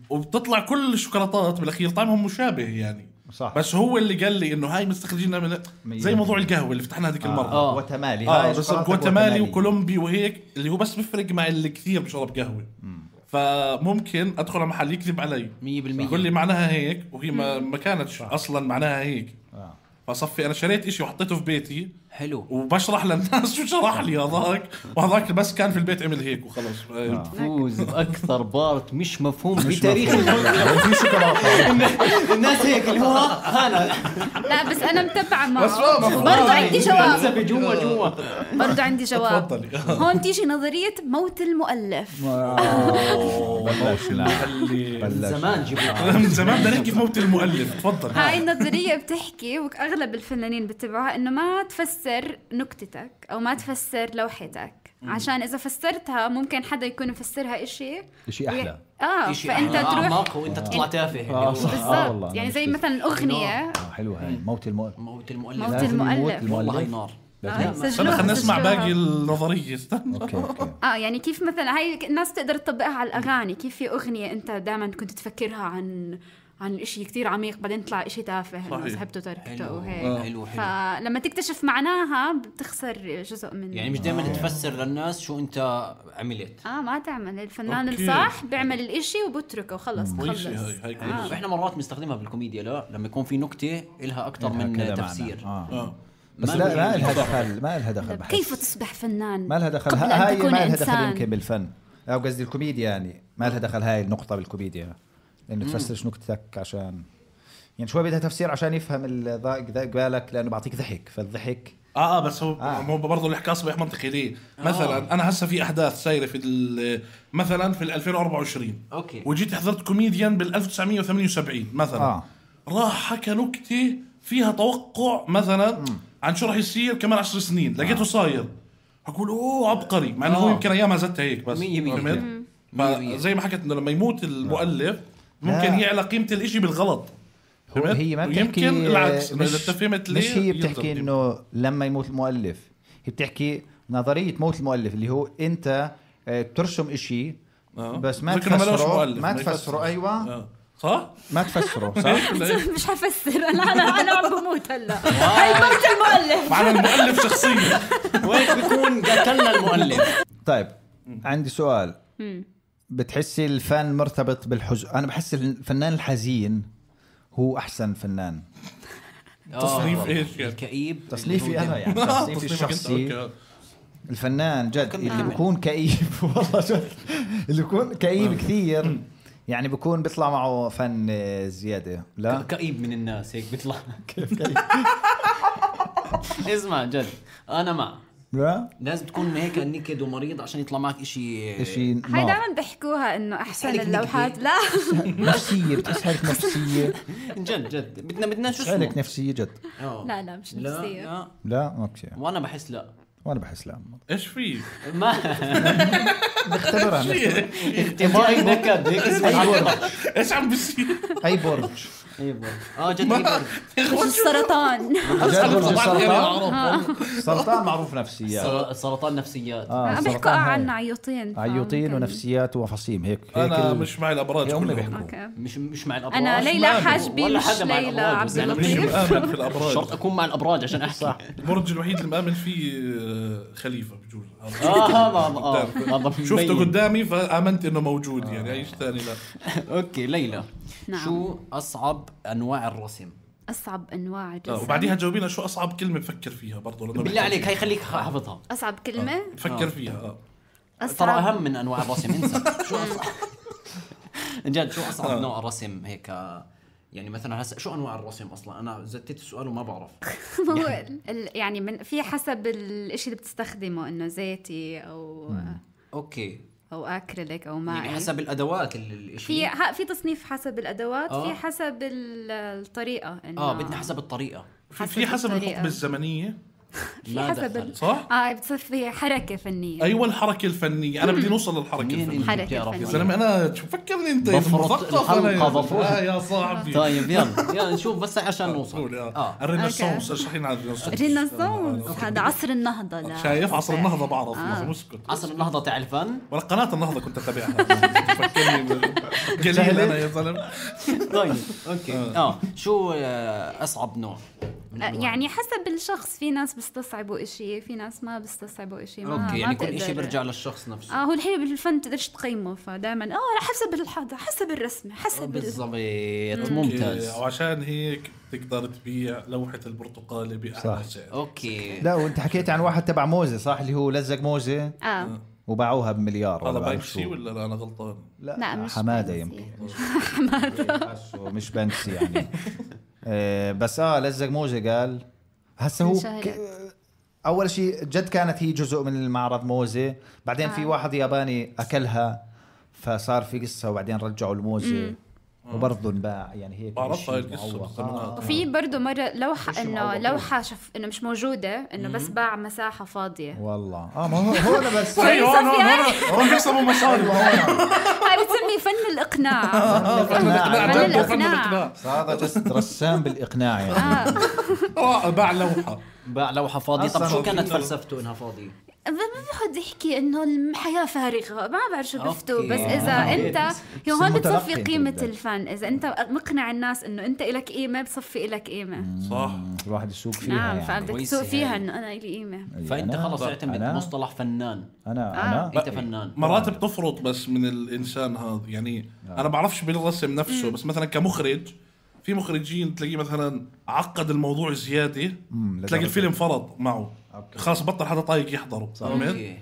Speaker 4: وبتطلع كل الشوكولاتات بالاخير طعمهم مشابه يعني صح. بس هو اللي قال لي انه هاي مستخرجينها من زي موضوع القهوه اللي فتحناها هذيك المره
Speaker 1: وتمالي
Speaker 4: بس وتمالي وكولومبي وهيك اللي هو بس بفرق مع اللي كثير بشرب قهوه. فممكن ادخل على محل يكذب علي 100% يقول لي معناها هيك وهي ما كانتش اصلا معناها هيك. فصفي انا شريت اشي وحطيته في بيتي
Speaker 2: حلو
Speaker 4: وبشرح للناس شو شرح لي هذاك، وهذاك بس كان في البيت عمل هيك وخلص.
Speaker 2: فوز باكثر بارت مش مفهوم بتاريخ الشوكولاته. الناس هيك اللي هو هلا.
Speaker 3: لا بس انا متبعه معه برضه عندي جواب
Speaker 2: جوا
Speaker 3: برضه عندي جواب. هون تيجي نظريه موت المؤلف.
Speaker 2: زمان جبنا
Speaker 4: من زمان بدنا نحكي في موت المؤلف. تفضل.
Speaker 3: هاي النظريه بتحكي واغلب الفنانين بتبعوها انه ما تفسر نكتتك او ما تفسر لوحتك، عشان اذا فسرتها ممكن حدا يكون يفسرها اشي
Speaker 1: احلى.
Speaker 3: فانت تروح
Speaker 2: وانت تطلع تافه.
Speaker 3: بالضبط. يعني زي مثلا اغنيه
Speaker 1: حلوه هاي موت المؤلف.
Speaker 2: والله هاي نار.
Speaker 4: خلينا نسمع باقي النظريه.
Speaker 1: اوكي
Speaker 3: يعني كيف مثلا هاي الناس تقدر تطبقها على الاغاني. كيف في اغنيه انت دائما كنت تفكرها عن إشي كتير عميق بعدين طلع إشي تافه إنه سحبته تركته وهيك.
Speaker 2: حلو.
Speaker 3: فلما تكتشف معناها بتخسر جزء من
Speaker 2: يعني مش دائما تفسر للناس شو أنت عملت.
Speaker 3: ما تعمل. الفنان الصح بيعمل الإشي وبتركه وخلص.
Speaker 2: إحنا مرات بنستخدمها بالكوميديا لما يكون في نكتة إلها أكتر من تفسير.
Speaker 1: بس لا ما لها دخل
Speaker 3: كيف تصبح فنان
Speaker 1: ما لها دخل. هاي ما لها دخل يمكن بالفن أو قصدي الكوميديا. يعني ما لها دخل هاي النقطة بالكوميديا إنه تفسرش نكتتك عشان يعني شوي بدها تفسير عشان يفهم الضايق بالك لأنه بعطيك ضحك. فالضحك
Speaker 4: بس هو برضه الحكاية صبح منطقي ليه. مثلا أنا هسه في أحداث سايرة في مثلا في 2024 وجيت حضرت كوميديان بال 1978 مثلا راح حكى نكتة فيها توقع مثلا عن شو راح يصير كمان 10 سنين لقيته صاير أقول عبقري مع إنه هو يمكن أيامها زتها هيك بس زي ما حكت إنه لما يموت المؤلف ممكن يعلى قيمة الإشي بالغلط.
Speaker 1: هي ما بتحكي
Speaker 4: يمكن العكس.
Speaker 1: مش هي بتحكي إنه لما يموت المؤلف. هي بتحكي نظرية موت المؤلف اللي هو أنت ترسم إشي بس ما تفسره. أيوة
Speaker 4: صح؟
Speaker 1: ما تفسره صح؟
Speaker 3: مش حفسر أنا عم بموت هلا. هاي موت المؤلف.
Speaker 4: معنى المؤلف شخصيا
Speaker 2: وين بيكون قتلنا المؤلف.
Speaker 1: طيب عندي سؤال. بتحسي الفن مرتبط بالحزن؟ أنا بحس الفنان الحزين هو أحسن فنان.
Speaker 4: تصنيف إيش يعني؟
Speaker 2: الكئيب
Speaker 1: تصنيفي أنا يعني تصنيفي الشخصي. الفنان جد اللي بيكون كئيب والله جد اللي بيكون كئيب كثير يعني بيكون بيطلع معه فن زيادة. لا
Speaker 2: كئيب من الناس هيك بيطلع. كيف كئيب؟ اسمع جد أنا مع لازم تكون هيك نكد ومريض عشان يطلع معك إشي
Speaker 3: هاي دائما بحكوها إنه أحسن اللوحات. لا
Speaker 1: نفسية بتسحلك نفسية
Speaker 2: جد بدنا شو
Speaker 1: تسحلك نفسية جد.
Speaker 3: لا مش نفسية.
Speaker 1: لا أوكي.
Speaker 2: وأنا بحس لا.
Speaker 4: إيش فيه؟
Speaker 2: ما
Speaker 1: نختبرها
Speaker 2: اختبار نكد هيك اسمه.
Speaker 4: إيش عم بيصير؟
Speaker 1: أي برج
Speaker 2: جد
Speaker 3: السرطان.
Speaker 1: السرطان معروف نفسيات.
Speaker 2: السرطان نفسيات.
Speaker 3: عم بيحكوا عن عيوطين
Speaker 1: ونفسيات وفصيم هيك.
Speaker 4: أنا مش مع الأبراج.
Speaker 2: مش مع الأبراج.
Speaker 3: أنا ليلى حاجبي مش ليلى عبد اللطيف.
Speaker 4: مؤمن في الأبراج.
Speaker 2: شرط أكون مع الأبراج عشان أحكي.
Speaker 4: البرج الوحيد اللي مؤمن فيه خليفة بجوز. شفته قدامي فآمنت إنه موجود يعني أيش ثاني لا.
Speaker 2: أوكي ليلى. شو أصعب أنواع الرسم؟
Speaker 3: أصعب أنواع الرسم.
Speaker 4: وبعديها جاوبينا شو أصعب كلمة بفكر فيها برضو.
Speaker 2: بالله عليك هاي خليك حافظها.
Speaker 3: أصعب كلمة
Speaker 4: فكر فيها.
Speaker 2: ترى أهم من أنواع الرسم. انسى شو أصعب جد شو أصعب نوع رسم هيك يعني مثلا هسه شو انواع الرسم اصلا؟ انا زتيت السؤال وما بعرف.
Speaker 3: يعني من في حسب الاشي اللي بتستخدمه انه زيتي او
Speaker 2: اوكي
Speaker 3: او اكريليك او مائي،
Speaker 2: يعني حسب الادوات الاشي.
Speaker 3: في تصنيف حسب الادوات. في حسب الطريقه انه
Speaker 2: بدنا حسب الطريقه.
Speaker 4: في حسب الحقبه الزمنيه.
Speaker 3: في حسب
Speaker 4: صح؟
Speaker 3: بتصير في حركة فنية.
Speaker 4: أيوة الحركة الفنية. أنا بدي نوصل للحركة الفنية.
Speaker 3: يا
Speaker 4: زلمة أنا شو فكرني أنت
Speaker 2: مثقف أنا
Speaker 4: يا صاحبي.
Speaker 2: طيب يلا نشوف بس عشان نوصل.
Speaker 4: الرينيسانس اشرحين على
Speaker 3: الرينيسانس. هذا عصر النهضة. لا
Speaker 4: شايف عصر النهضة بعرف. مسكت
Speaker 2: عصر النهضة تاع الفن
Speaker 4: ولا قناة النهضة كنت أتابعها. فكرني قليل أنا يا زلمة.
Speaker 2: طيب أوكي شو أصعب نوع؟
Speaker 3: يعني حسب الشخص، في ناس بيستصعبوا إشي، في ناس ما بيستصعبوا إشي.
Speaker 2: اوكي يعني كل إشي بيرجع للشخص نفسه.
Speaker 3: هو الحلو بالفن تقدرش تقيمه، فدائما حسب الرسمة، حسب
Speaker 2: بالضبط. ممتاز.
Speaker 4: وعشان هيك تقدر تبيع لوحة البرتقالة بأعلى سعر.
Speaker 2: اوكي.
Speaker 1: لا وانت حكيت عن واحد تبع موزة صح، اللي هو لزق موزة وباعوها بمليار.
Speaker 4: هذا بنكسي ولا انا غلطان؟
Speaker 1: لا مش حمادة يمكن. حمادة مش بنكسي يعني. بس لزق موزة. قال هسه هو اول شيء جد كانت هي جزء من المعرض موزة، بعدين في واحد ياباني اكلها فصار في قصة، وبعدين رجعوا الموزة وبرضه انباع. يعني هيك
Speaker 4: بعرفها القصة.
Speaker 3: وفي برضه مرة لوحة انه لوحة انه مش موجودة، انه بس باع مساحة فاضية.
Speaker 1: والله ما هو بس
Speaker 4: هون بيكسبوا مصاري.
Speaker 3: هاي بتسمي فن الإقناع. فن الإقناع.
Speaker 1: هذا جست رسام بالإقناع يعني.
Speaker 2: باع لوحة فاضية. طب شو كانت فلسفته انها فاضية؟
Speaker 3: ما بحد يحكي انه الحياة فارغة، ما بعرف شو بفتو. بس اذا انت هون بتصفي قيمة الفن، اذا انت مقنع الناس انه انت إلك قيمة، بتصفي إلك قيمة.
Speaker 4: صح.
Speaker 1: الواحد يسوق فيها.
Speaker 3: نعم يعني. فبدك تسوق فيها انه انا إلي قيمة.
Speaker 2: فانت خلص اعتمد مصطلح فنان.
Speaker 1: انا
Speaker 2: انت فنان.
Speaker 4: مرات بتفرط بس من الانسان هذا يعني. انا بعرفش بالرسم نفسه، بس مثلا كمخرج في مخرجين تلاقيه مثلا عقد الموضوع زيادة، تلاقي الفيلم فرض معه. خلاص بطل حدا طايق يحضره.
Speaker 2: أوكي.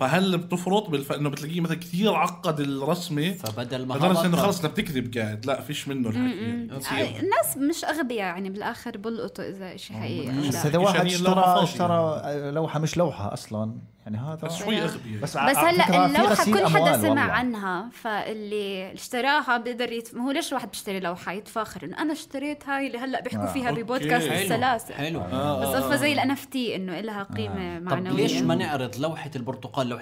Speaker 4: فهل بتفرط انه بتلاقيه مثلا كثير عقد الرسمة،
Speaker 2: فبدل ما
Speaker 4: لدرجة انه خلص انت بتكذب قاعد، لا فيش منه الحكي.
Speaker 3: الناس مش اغبياء يعني بالاخر بلقطوا اذا شيء حقيقي.
Speaker 1: بس هذا واحد اشترى لوحة مش لوحة اصلا يعني. هذا
Speaker 4: شوي اغبياء.
Speaker 3: بس هلا اللوحة كل حدا سمع عنها، فاللي اشتراها بيقدر هو ليش واحد بيشتري لوحة يتفاخر انه انا اشتريت هاي اللي هلا بيحكوا فيها ببودكاست السلاسل.
Speaker 2: حلو.
Speaker 3: بس زي الNFT انه لها قيمة معنوية.
Speaker 2: طب ليش ما نعرض لوحة البرتقال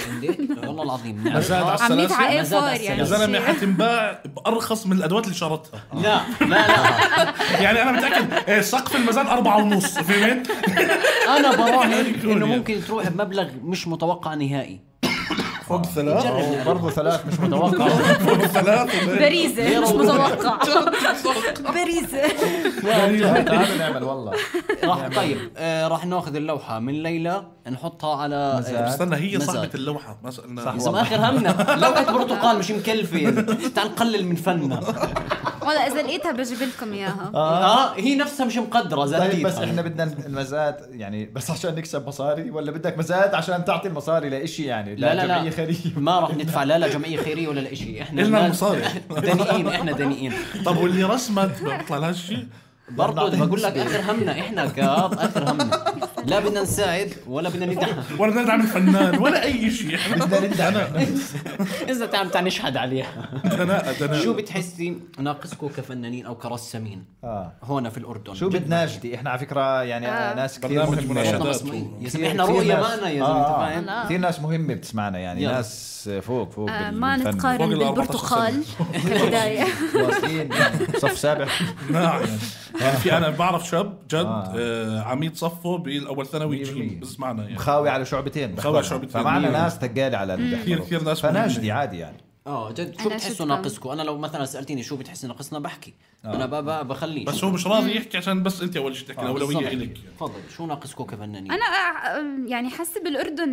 Speaker 2: عندك؟ والله العظيم
Speaker 4: مزاد على السلاسل يا زلمة، حتنباع بأرخص من الأدوات اللي شرتها.
Speaker 2: لا
Speaker 4: يعني أنا متأكد سقف المزاد 4.5. فهمت؟
Speaker 2: أنا براهن إنه ممكن تروح بمبلغ مش متوقع نهائي.
Speaker 4: فوق 3
Speaker 1: برضو 3 مش متوقع.
Speaker 4: فوق 3
Speaker 3: بريزة مش متوقع. بريزة
Speaker 1: تعالوا نعمل والله.
Speaker 2: طيب راح ناخذ اللوحة من ليلى نحطها على
Speaker 4: استنى هي صاحبة اللوحة ما سألنا.
Speaker 2: إذا آخر همنا لوحة برتقال مش مكلفة، تعال نقلل من فننا.
Speaker 3: والله إذا لقيتها بجيب لكم إياها.
Speaker 2: هي نفسها مش مقدرة زادت.
Speaker 1: طيب بس إحنا بدنا المزاد يعني بس عشان نكسب مصاري، ولا بدك مزاد عشان تعطي المصاري لإشي يعني؟
Speaker 2: لا ما راح ندفع لا جمعية خيرية ولا لإشي. إحنا
Speaker 4: إلنا المصاري
Speaker 2: دنيئين. إحنا دنيئين.
Speaker 4: طب واللي رسمت بطلع لها شيء
Speaker 2: برضو بقول لك آخر همنا إحنا كاب آخر همنا. لا بدنا نساعد ولا بدنا ندعم
Speaker 4: ولا بدنا ندعم الفنان ولا أي شيء. إحنا
Speaker 1: بدنا ندعم.
Speaker 2: إذا تعال نشهد عليها.
Speaker 4: دنا.
Speaker 2: شو بتحسي ناقصكم كفنانين أو كرسامين هون في الأردن؟
Speaker 1: شو بدناجدي إحنا على فكرة يعني ناس كثير مهمة.
Speaker 2: يا زلمة إحنا رؤية معنا يا زلمة.
Speaker 1: كثير ناس مهمة بتسمعنا يعني ناس فوق
Speaker 3: ما نتقارن بالبرتقال كبداية.
Speaker 1: واصلين صف سابع.
Speaker 4: نعم يعني في أنا بعرف شاب جد عميد صفه بالأول ثانوي بس معنا يعني
Speaker 1: خاوي على شعبتين. فمعنا ناس تقالي على
Speaker 4: كثير ناس
Speaker 1: فناجدي عادي يعني.
Speaker 2: جد شو بتحسوا ناقصكم؟ انا لو مثلا سالتيني شو بتحس ناقصنا بحكي انا بخليه.
Speaker 4: بس هو مش راضي يحكي عشان بس انت اول شيء تحكي الاولويه الك.
Speaker 2: تفضل. شو ناقصكم كفنانين؟
Speaker 3: انا يعني حاسه بالاردن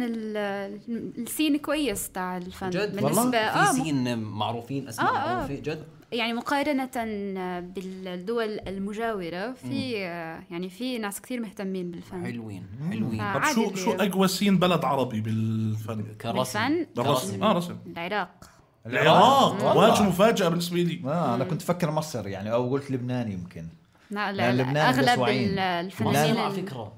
Speaker 3: السين كويس تاع الفن
Speaker 2: بالنسبه في سين معروفين اسماء معروفين جد
Speaker 3: يعني مقارنه بالدول المجاوره. في يعني في ناس كثير مهتمين بالفن.
Speaker 2: حلوين.
Speaker 4: طب شو اقوى سين بلد عربي بالفن
Speaker 3: كرسم؟
Speaker 4: رسم.
Speaker 3: العراق
Speaker 4: واجه مفاجأة بالنسبة لي.
Speaker 1: أنا كنت فكر مصر يعني أو قلت لبنان يمكن.
Speaker 3: لا أغلب الفنانين
Speaker 2: على فكرة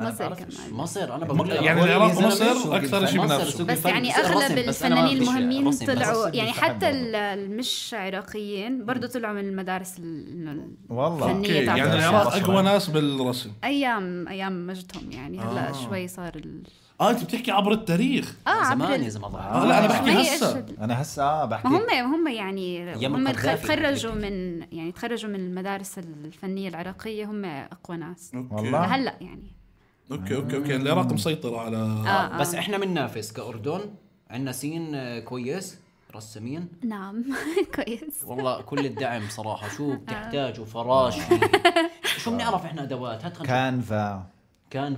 Speaker 3: مصر كمان.
Speaker 2: مصر أنا بقول
Speaker 4: يعني العراق ومصر أكثر شيء بنفسه.
Speaker 3: بس يعني أغلب الفنانين المهمين طلعوا يعني حتى المش عراقيين برضو طلعوا من المدارس الفنية.
Speaker 4: يعني العراق أقوى ناس بالرسم
Speaker 3: أيام مجدهم يعني. هلا شوي صار
Speaker 4: انت بتحكي عبر التاريخ.
Speaker 2: زمان يا زلمه.
Speaker 4: لا انا بحكي هسه.
Speaker 1: انا هسه بحكي
Speaker 3: هم يعني هم تخرجوا من المدارس الفنيه العراقيه. هم اقوى ناس
Speaker 1: والله
Speaker 3: هلا يعني.
Speaker 4: اوكي العراق مسيطر على
Speaker 2: بس احنا بننافس كأردن. عندنا سين كويس رسامين؟
Speaker 3: نعم. كويس
Speaker 2: والله كل الدعم صراحة. شو بتحتاجوا؟ فراشي شو بنعرف إحنا أدوات؟
Speaker 1: كانفا
Speaker 2: كان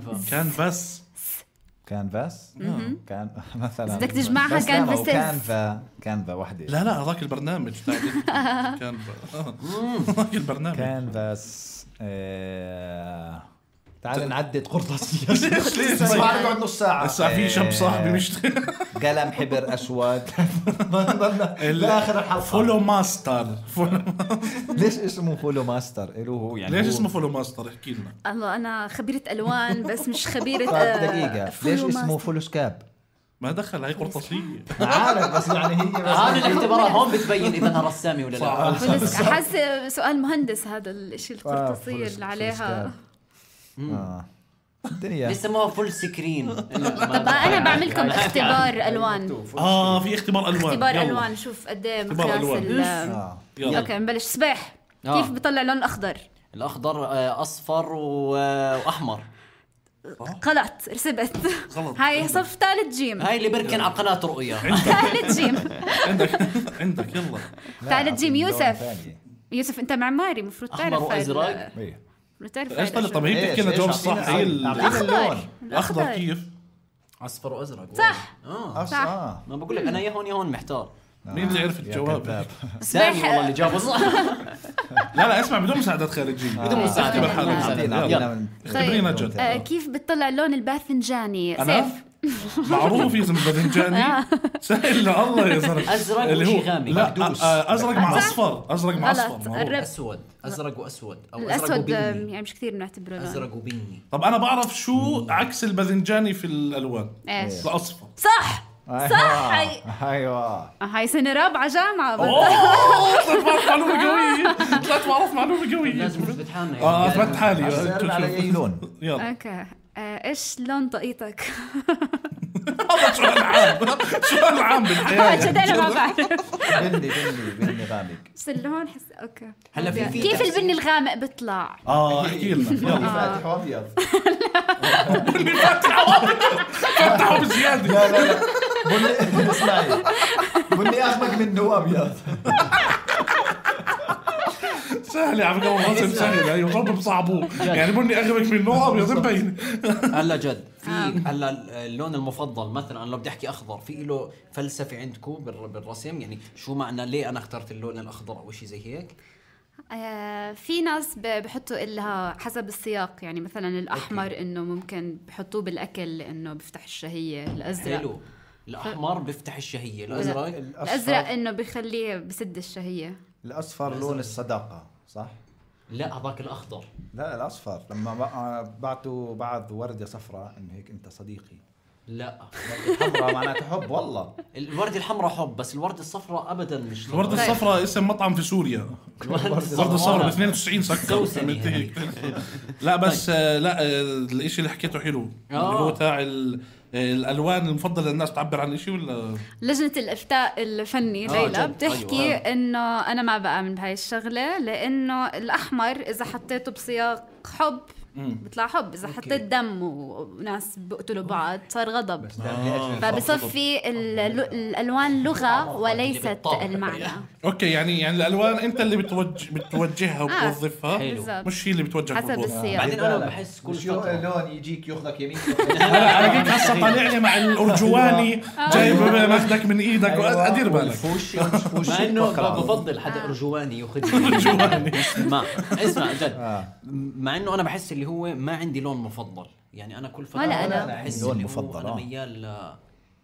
Speaker 1: مثلا
Speaker 3: بدك تجمعها
Speaker 1: كانفا وحدة.
Speaker 4: لا هذاك البرنامج كانفا هذاك البرنامج
Speaker 1: كانفاس. تعال نعدد قرطاسية.
Speaker 4: ليش
Speaker 1: بعد نص ساعة
Speaker 4: هسه في شاب صاحبي بيشتغل
Speaker 1: قلم حبر أسود لآخر الحلقة.
Speaker 4: فولو ماستر.
Speaker 1: ليش اسمه فولو ماستر؟ هو يعني
Speaker 4: ليش اسمه فولو ماستر؟ احكي لنا.
Speaker 3: الله أنا خبيرة ألوان بس مش خبيرة.
Speaker 1: دقيقة ليش اسمه فولو سكاب؟
Speaker 4: ما دخل هاي قرطاسية.
Speaker 1: عارف بس يعني هي
Speaker 2: هذا الاختبارات هون بتبين إذا أنا رسامي ولا لا.
Speaker 3: أحس سؤال مهندس هذا الشيء القرطاسية اللي عليها.
Speaker 1: الدنيا
Speaker 2: بيسموها فول سكرين.
Speaker 3: طب أنا بعملكم اختبار ألوان.
Speaker 4: في اختبار
Speaker 3: ألوان شوف قد ايه مقياس اوكي نبلش. صباح كيف بيطلع لون أخضر؟
Speaker 2: الأخضر أصفر وأحمر.
Speaker 3: غلط رسبت. هاي صف ثالث جيم.
Speaker 2: هاي اللي بركن على قناة رؤية.
Speaker 3: ثالث جيم.
Speaker 4: عندك يلا
Speaker 3: ثالث جيم. يوسف انت معماري مفروض تعرف.
Speaker 2: أحمر وأزرق.
Speaker 4: ايش طب هي بتحكي لنا جواب صح. هي
Speaker 3: الأخضر
Speaker 4: كيف؟
Speaker 2: أصفر وأزرق.
Speaker 3: صح.
Speaker 2: صح. ما بقول لك أنا يا هون محتار.
Speaker 4: مين اللي عرف الجواب؟
Speaker 2: سامي والله اللي جابه صح.
Speaker 4: لا اسمع بدون مساعدات خارجية.
Speaker 2: بدون مساعدة.
Speaker 4: خبرينا جد.
Speaker 3: كيف بتطلع اللون الباذنجاني؟
Speaker 4: سيف معروف يا زلمه باذنجاني. سهل الله يا زلمه.
Speaker 2: ازرق وشي غامق.
Speaker 4: لا ازرق مع اصفر.
Speaker 2: اسود. ازرق واسود او
Speaker 3: الاسود يعني مش كثير بنعتبره لون.
Speaker 2: ازرق وبني.
Speaker 4: طب انا بعرف شو عكس الباذنجاني في الالوان. الاصفر.
Speaker 3: صح.
Speaker 1: ايوه
Speaker 3: هاي سنة رابعة جامعة.
Speaker 4: طلعت بعرف معلومة قوية.
Speaker 2: لازم تثبت حالنا.
Speaker 4: اثبت حالي.
Speaker 1: على اي لون؟
Speaker 4: يلا
Speaker 3: اوكي ايش لون طاقيتك؟
Speaker 4: هذا سؤال عام بالحياة.
Speaker 3: جد انا ما بعرف.
Speaker 1: بني غامق.
Speaker 3: بس اللون حس اوكي.
Speaker 2: هلا في
Speaker 3: كيف البني الغامق بيطلع؟
Speaker 4: احكي لنا.
Speaker 1: بني فاتح وابيض.
Speaker 4: بني فاتح وابيض. فتحوا بزيادة.
Speaker 1: لا بني اسمعي بني اغمق منه وابيض.
Speaker 4: سهل يا عم قوم سهل. ايوه ضرب بصعبوه يعني بني اغمق منه ابيض مبين.
Speaker 2: هلا جد في هلا اللون المفضل مثلا انا لو بدي احكي اخضر في له فلسفه عندكم بالرسم يعني شو معنى ليه انا اخترت اللون الاخضر او شيء زي هيك؟
Speaker 3: في ناس بحطوا لها حسب السياق يعني مثلا الاحمر انه ممكن بحطوه بالاكل لانه بيفتح الشهيه. الازرق
Speaker 2: حلو. الاحمر بيفتح الشهيه.
Speaker 3: الازرق انه بيخليه بسد الشهيه.
Speaker 1: الاصفر لون الصداقه صح؟
Speaker 2: لا هذاك الاخضر.
Speaker 1: لا الاصفر لما بعتوا بعض ورده صفراء انه هيك انت صديقي.
Speaker 2: لا
Speaker 1: الحمراء معناتها حب. والله
Speaker 2: الوردة الحمراء حب بس الوردة الصفراء ابدا مش.
Speaker 4: الوردة الصفراء اسم مطعم في سوريا. الوردة الصفراء ب 92 سكر. لا بس لا الاشي اللي حكيته حلو اللي هو تاع الالوان المفضله للناس تعبر عن شيء ولا
Speaker 3: لجنه الافتاء الفني ليلى بتحكي انه انا ما بآمن بهاي الشغله لانه الاحمر اذا حطيته بسياق حب بيطلع حب. اذا حطيت دم وناس بيقتلوا بعض صار غضب. فبصفي الالوان لغه وليست المعنى.
Speaker 4: اوكي يعني الالوان انت اللي بتوجهها وبتوظفها مش هي اللي بتوجه
Speaker 3: حسب السياق.
Speaker 2: بعدين انا بحس كل
Speaker 1: لون يجيك ياخذك يمين.
Speaker 4: انا هيك هسه طالع لي مع الارجواني جايب ماخذك من ايدك ادير بالك.
Speaker 2: مع انه بفضل حدا ارجواني ياخذني. اسمع جد مع انه انا بحس اللي هو ما عندي لون مفضل يعني انا كل فتره
Speaker 3: انا
Speaker 2: بحس لون مفضل. انا ميال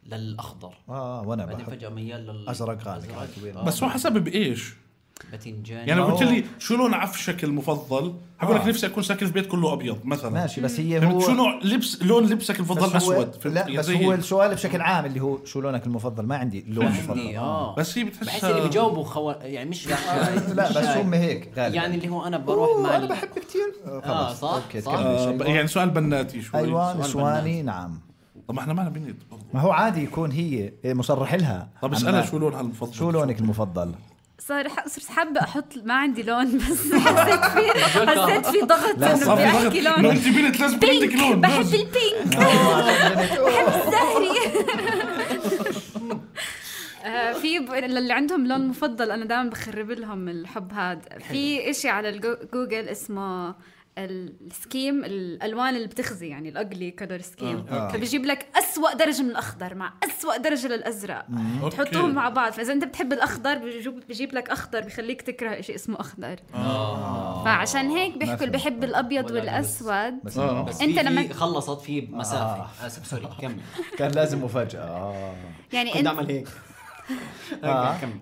Speaker 2: للاخضر
Speaker 1: وانا
Speaker 2: بعدين فجاه ميال
Speaker 1: للازرق غامق.
Speaker 4: بس هو حسب بايش
Speaker 2: باذنجاني
Speaker 4: يعني قلت لي شو لون عفشك المفضل هقول لك نفسي اكون ساكن في بيت كله ابيض مثلا.
Speaker 1: ماشي بس هي هو
Speaker 4: شو نوع لون لبسك المفضل اسود.
Speaker 1: لا بس هو السؤال بشكل عام اللي هو شو لونك المفضل ما عندي لون مفضل.
Speaker 4: بس هي بتحس
Speaker 2: بحس اللي بيجاوبوا يعني مش
Speaker 1: لا بس هم هيك غالبا
Speaker 2: يعني اللي هو انا بروح مع
Speaker 1: انا بحب كثير
Speaker 2: صح
Speaker 4: يعني سؤال بناتي شوي.
Speaker 1: ايوه نسواني نعم.
Speaker 4: طب ما احنا معنا بنت برضه.
Speaker 1: ما هو عادي يكون هي مصرح لها.
Speaker 4: طب اسالها شو لونها المفضل.
Speaker 1: شو لونك المفضل؟
Speaker 3: صرت حابة أحط ما عندي لون بس حسيت في ضغط إنه بدي أحكي لون.
Speaker 4: أنت بنت لازم عندك لون.
Speaker 3: بحب البينك. بحب الزهري. في اللي عندهم لون مفضل انا دائما بخرب لهم الحب هذا. في اشي على جوجل اسمه السكيم، الالوان اللي بتخزي يعني الاجلي كلر سكيم، فبيجيب لك اسوأ درجه من الاخضر مع اسوأ درجه للازرق، تحطهم مع بعض. فاذا انت بتحب الاخضر بيجيب لك اخضر بيخليك تكره شيء اسمه اخضر. فعشان هيك بيحكوا اللي بحب الابيض والاسود.
Speaker 2: بس انت لما خلصت في مسافه اسف سوري كمل
Speaker 1: كان لازم مفاجاه.
Speaker 3: يعني
Speaker 2: كنت اعمل هيك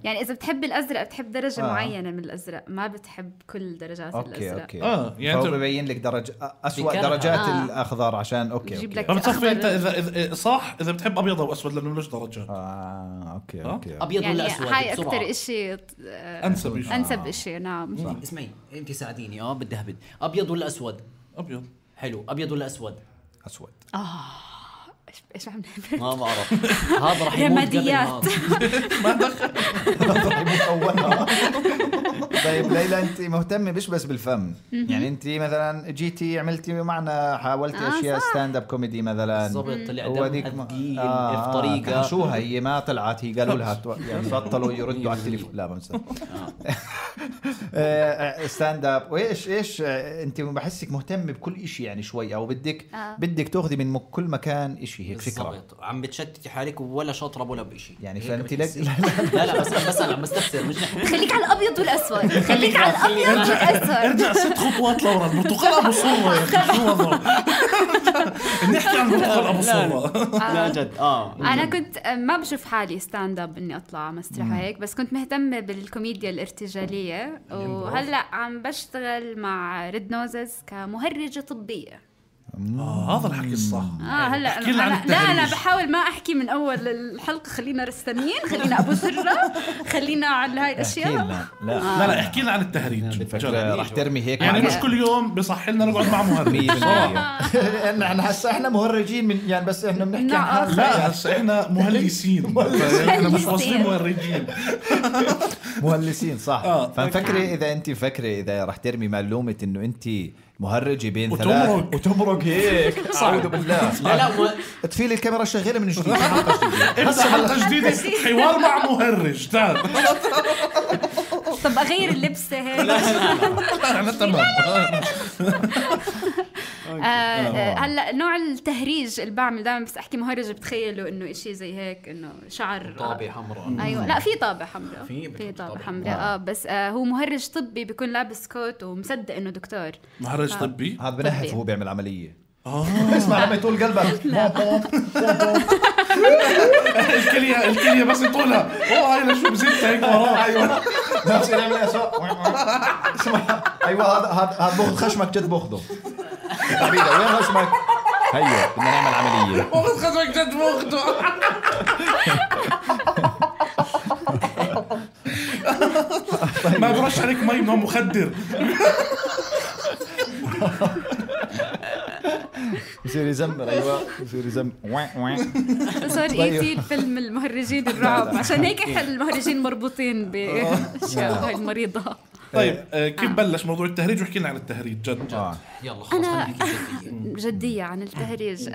Speaker 3: يعني إذا بتحب الأزرق بتحب درجة معينة من الأزرق، ما بتحب كل درجات الأزرق.
Speaker 1: أوكي.
Speaker 4: يعني
Speaker 1: هو بيبين لك درجة أسوأ درجات الأخضر عشان أوكي.
Speaker 4: فبتصفي أنت إذا صح إذا بتحب أبيض أو أسود لأنه ملوش درجات.
Speaker 1: أوكي.
Speaker 2: أبيض ولا أسود؟
Speaker 3: هاي أكتر إشي
Speaker 4: أنسب
Speaker 3: إشي. نعم.
Speaker 2: اسمعي أنت ساعديني بدي أهبد. أبيض ولا أسود؟
Speaker 4: أبيض.
Speaker 2: حلو. أبيض ولا أسود؟
Speaker 1: أسود.
Speaker 3: ايش عم
Speaker 2: ما بعرف. هذا راح يموت قبل هذا.
Speaker 4: ما دخل.
Speaker 1: طيب ليلى انت مهتمه بس بالفم، يعني انت مثلا جيتي عملتي معنا حاولتي اشياء ستاند اب كوميدي مثلا
Speaker 2: بالضبط. طلع دمها ثقيل بطريقه
Speaker 1: شو هي ما طلعت، هي قالوا لها يعني بطلوا يردوا على التليفون. لا بمسك ستاند اب. وايش انت بحسك مهتمه بكل إشي يعني شوي، او بدك تاخذي من كل مكان إشي هيك فكره.
Speaker 2: عم بتشتتي حالك ولا شاطره ولا بشيء
Speaker 1: يعني فانت لا
Speaker 2: بس انا عم بستفسر. مش
Speaker 3: خليك على الابيض والاسود. خليك على الابيض والاسود.
Speaker 4: ارجع 6 خطوات لورا. البرتقال ابو صوره يا اخي شو وضعه؟ نحكي عن البرتقال ابو صوره.
Speaker 2: لا جد.
Speaker 3: انا كنت ما بشوف حالي ستاند اب اني اطلع مسرح هيك، بس كنت مهتمه بالكوميديا الارتجاليه، وهلا عم بشتغل مع ريد نوزز كمهرجه طبيه.
Speaker 4: هذا الحكي الصح.
Speaker 3: هلا انا بحاول ما احكي من اول الحلقه. خلينا رسامين، خلينا ابو سره، خلينا على هاي الاشياء.
Speaker 4: لا احكي لنا عن التهريج.
Speaker 1: راح ترمي هيك
Speaker 4: يعني مش كل يوم بصح لنا نقعد مع مهرج صراحه.
Speaker 1: احنا هسه احنا مهرجين من يعني، بس احنا بنحكي عن
Speaker 4: لا هسه احنا مهلسين. احنا مش واصلين مهرجين.
Speaker 1: مهلسين صح. ففكري اذا انت اذا راح ترمي معلومه انه انت مهرجي بين ثلاث وتمرق هيك. أعوذ بالله.
Speaker 2: لا
Speaker 1: تفيل الكاميرا شغالة من جديد.
Speaker 4: هسه حلقة جديدة حوار مع مهرج. تعال.
Speaker 3: طب أغير اللبسة هيك.
Speaker 4: أنا تمام.
Speaker 3: هلا نوع التهريج اللي بعمل دائما بس أحكي مهرج بتخيلوا إنه إشي زي هيك، إنه شعر
Speaker 2: طابع حمراء.
Speaker 3: أيوة. لا في طابع حمراء. في طابع حمراء. بس هو مهرج طبي بيكون لابس كوت ومصدق إنه دكتور.
Speaker 4: مهرج طبي.
Speaker 1: هذا بنحف وهو بيعمل عملية. اسمع لما يطول قلبك.
Speaker 4: الكلية بس يطولها. هاي شو بزيت هيك وراه.
Speaker 1: ايوه نفس اللي اسمع. ايوه هذا باخذ خشمك جد باخذه. حبيبي وين خشمك؟ هيا بدنا نعمل عملية.
Speaker 4: باخذ خشمك جد باخذه. ما برش عليك مي من مخدر.
Speaker 1: يصير يزمر. ايوه يصير يزمر.
Speaker 3: صار ايتي الفيلم المهرجين الرعب. عشان هيك احنا المهرجين مربوطين باشياء هاي المريضه.
Speaker 4: طيب كيف بلش موضوع التهريج؟ وحكي لنا عن التهريج جد.
Speaker 2: يلا خلص
Speaker 3: جدية عن التهريج.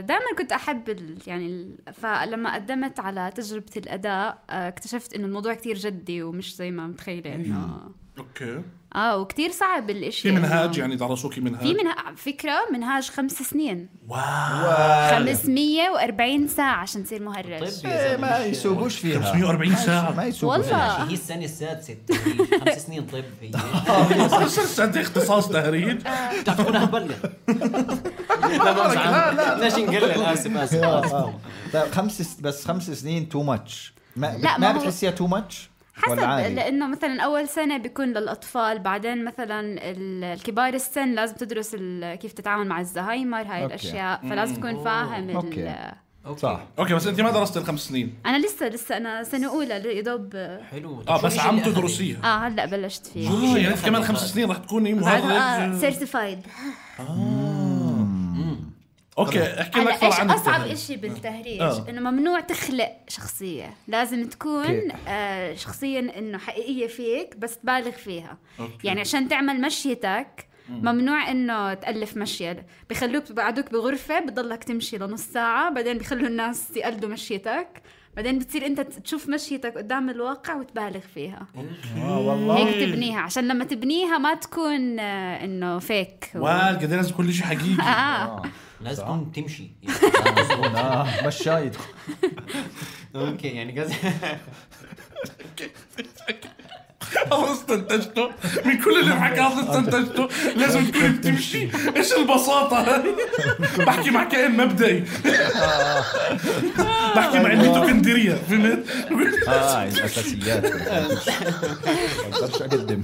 Speaker 3: دائما كنت أحب يعني فلما قدمت على تجربة الأداء اكتشفت إنه الموضوع كتير جدي ومش زي ما متخيلة إنه
Speaker 4: أوكي.
Speaker 3: وكتير صعب الاشي.
Speaker 4: في منهاج يعني درسوكي منهاج؟
Speaker 3: في فكرة منهاج 5 سنين.
Speaker 4: واو
Speaker 3: 540 ساعة عشان تصير مهرج.
Speaker 1: ما يسوقوش فيها
Speaker 4: 540 ساعة.
Speaker 1: ما يسوقوا
Speaker 3: والله.
Speaker 2: هي السنة السادسة 5 سنين طب هي.
Speaker 4: 5 سنين اختصاص تهريج.
Speaker 2: تعرفون هبلغ. لا ليش نقلل؟ آسف.
Speaker 1: طيب 5 سنين تو ماتش. ما بتحسيها تو ماتش؟
Speaker 3: حسب، لأنه مثلا أول سنة بيكون للأطفال، بعدين مثلا الكبار السن لازم تدرس كيف تتعامل مع الزهايمر هاي الأشياء، فلازم تكون فاهم
Speaker 1: صح.
Speaker 4: اوكي بس انت ما درست ال5 سنين.
Speaker 3: انا لسه انا سنه اولى يدوب.
Speaker 2: حلو.
Speaker 4: بس عم تدرسيها.
Speaker 3: هلا بلشت فيه.
Speaker 4: يعني انت كمان 5 سنين رح تكوني مهرج
Speaker 3: سيرتيفايد.
Speaker 4: اوكي احكي لنا اكثر عن
Speaker 3: اصعب إشي بالتهريج انه ممنوع تخلق شخصيه، لازم تكون شخصيه انه حقيقيه فيك بس تبالغ فيها. يعني عشان تعمل مشيتك ممنوع انه تألف مشي، بخلوك بقعدوك بغرفة بضلك تمشي لنص ساعة، بعدين بخلوا الناس يقلدوا مشيتك، بعدين بتصير انت تشوف مشيتك قدام الواقع وتبالغ فيها.
Speaker 1: والله
Speaker 3: هيك تبنيها عشان لما تبنيها ما تكون انه فيك
Speaker 4: قد لازم كل شيء حقيقي.
Speaker 2: لازم تكون تمشي
Speaker 1: مشايد.
Speaker 2: اوكي يعني قصدي
Speaker 4: استنتجته من كل اللي حكى استنتجته لازم تكون بتمشي. ايش البساطة هاي؟ بحكي مع كائن مبدئي، بحكي مع الميتوكندريا، فهمت؟
Speaker 1: الأساسيات أقدرش أقدم.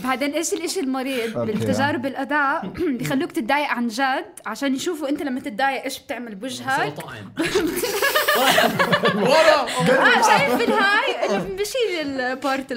Speaker 3: بعدين إيش الإشي المريض بالتجارب الأداء بيخلوك تتضايق عن جد عشان يشوفوا أنت لما تتضايق إيش بتعمل بوجهك. شايف بالهاي اللي بشيل البارت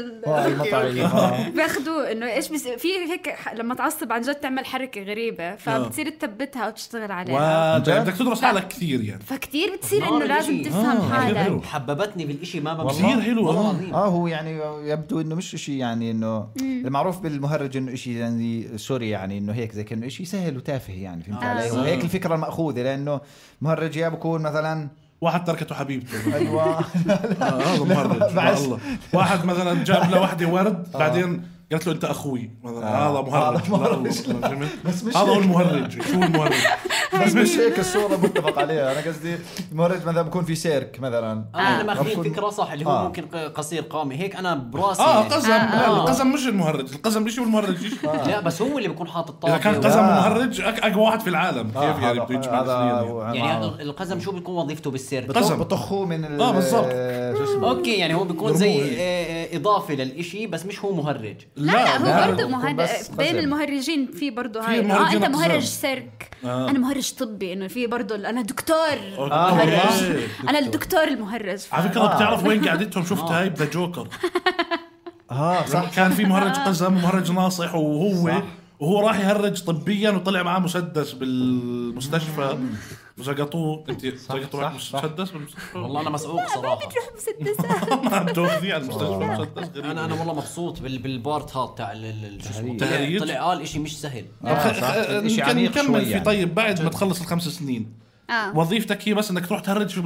Speaker 3: بياخدوه انه ايش في هيك لما تعصب عن جد تعمل حركه غريبه فبتصير تثبتها وتشتغل عليها.
Speaker 4: بدك تدرس حالك كثير يعني،
Speaker 3: فكتير بتصير انه لازم تفهم حالك.
Speaker 2: حببتني بالاشي ما بمشي
Speaker 4: كثير حلو.
Speaker 1: هو يعني يبدو انه مش اشي يعني انه المعروف بالمهرج انه اشي يعني سوري يعني انه هيك زي كانه اشي سهل وتافه يعني، فهمت علي؟ وهيك الفكره المأخوذه، لانه مهرج يا بكون مثلا واحد
Speaker 4: تركته حبيبته.
Speaker 1: ايوه
Speaker 4: هذا مهرج. الله واحد مثلا جاب له وحده ورد بعدين قالت له انت اخوي مثلا، هذا مهرج. هذا هو المهرج. شو المهرج؟
Speaker 1: بس مش هيك الصوره متفق عليها. انا قصدي المهرج مثلا بكون في سيرك مثلا،
Speaker 2: انا ماخذين فكره صح اللي هو ممكن قصير قامي هيك. انا براسي
Speaker 4: قزم. القزم مش المهرج، القزم مش المهرج.
Speaker 2: لا بس هو اللي بيكون حاطط طاقه.
Speaker 4: اذا كان قزم مهرج اقوى واحد في العالم. كيف يعني بده يجمع
Speaker 2: يعني القزم شو بيكون وظيفته بالسيرك؟
Speaker 1: بطخوه من
Speaker 4: بالضبط.
Speaker 2: اوكي يعني هو بيكون زي اضافه للإشي بس مش هو مهرج.
Speaker 3: لا هو برضه مهرج. بين المهرجين في برضه هاي انت مهرج سيرك. انا مهرج طبي، انه في برضه انا دكتور مهرج. انا الدكتور المهرج.
Speaker 4: على فكره بتعرف وين قعدتهم؟ شفت هاي بذا جوكر. صح. كان في مهرج قزم ومهرج ناصح، وهو راح يهرج طبيا وطلع معاه مسدس بالمستشفى وزقطوه. انت زقطوه مسدس بالمستشفى؟
Speaker 2: والله انا مسعوق صراحه.
Speaker 3: بتروح مسدسات
Speaker 4: ما بتاخذي على المستشفى مسدس.
Speaker 2: انا والله مبسوط بالبارت هذا تاع
Speaker 4: التهريج.
Speaker 2: طلع قال شيء مش سهل.
Speaker 4: نكمل في طيب بعد ما تخلص ال5 سنين وظيفتك هي بس انك تروح تهرج في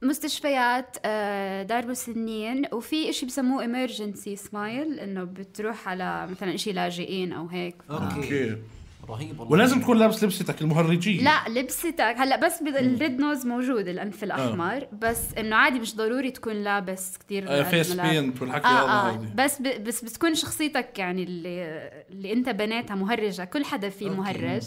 Speaker 4: مستشفيات
Speaker 3: دار مسنين، وفي إشي بسموه emergency smile، إنه بتروح على مثلا إشي لاجئين أو هيك.
Speaker 4: أوكي. رهيب. ولازم تكون لابس لبستك المهرجية.
Speaker 3: لا لبستك هلا بس الريد نوز موجود، الأنف الأحمر، بس إنه عادي مش ضروري تكون لابس كتير
Speaker 4: فيس بينت والحكي
Speaker 3: بس بتكون شخصيتك يعني اللي أنت بنيتها مهرجة. كل حدا فيه مهرج،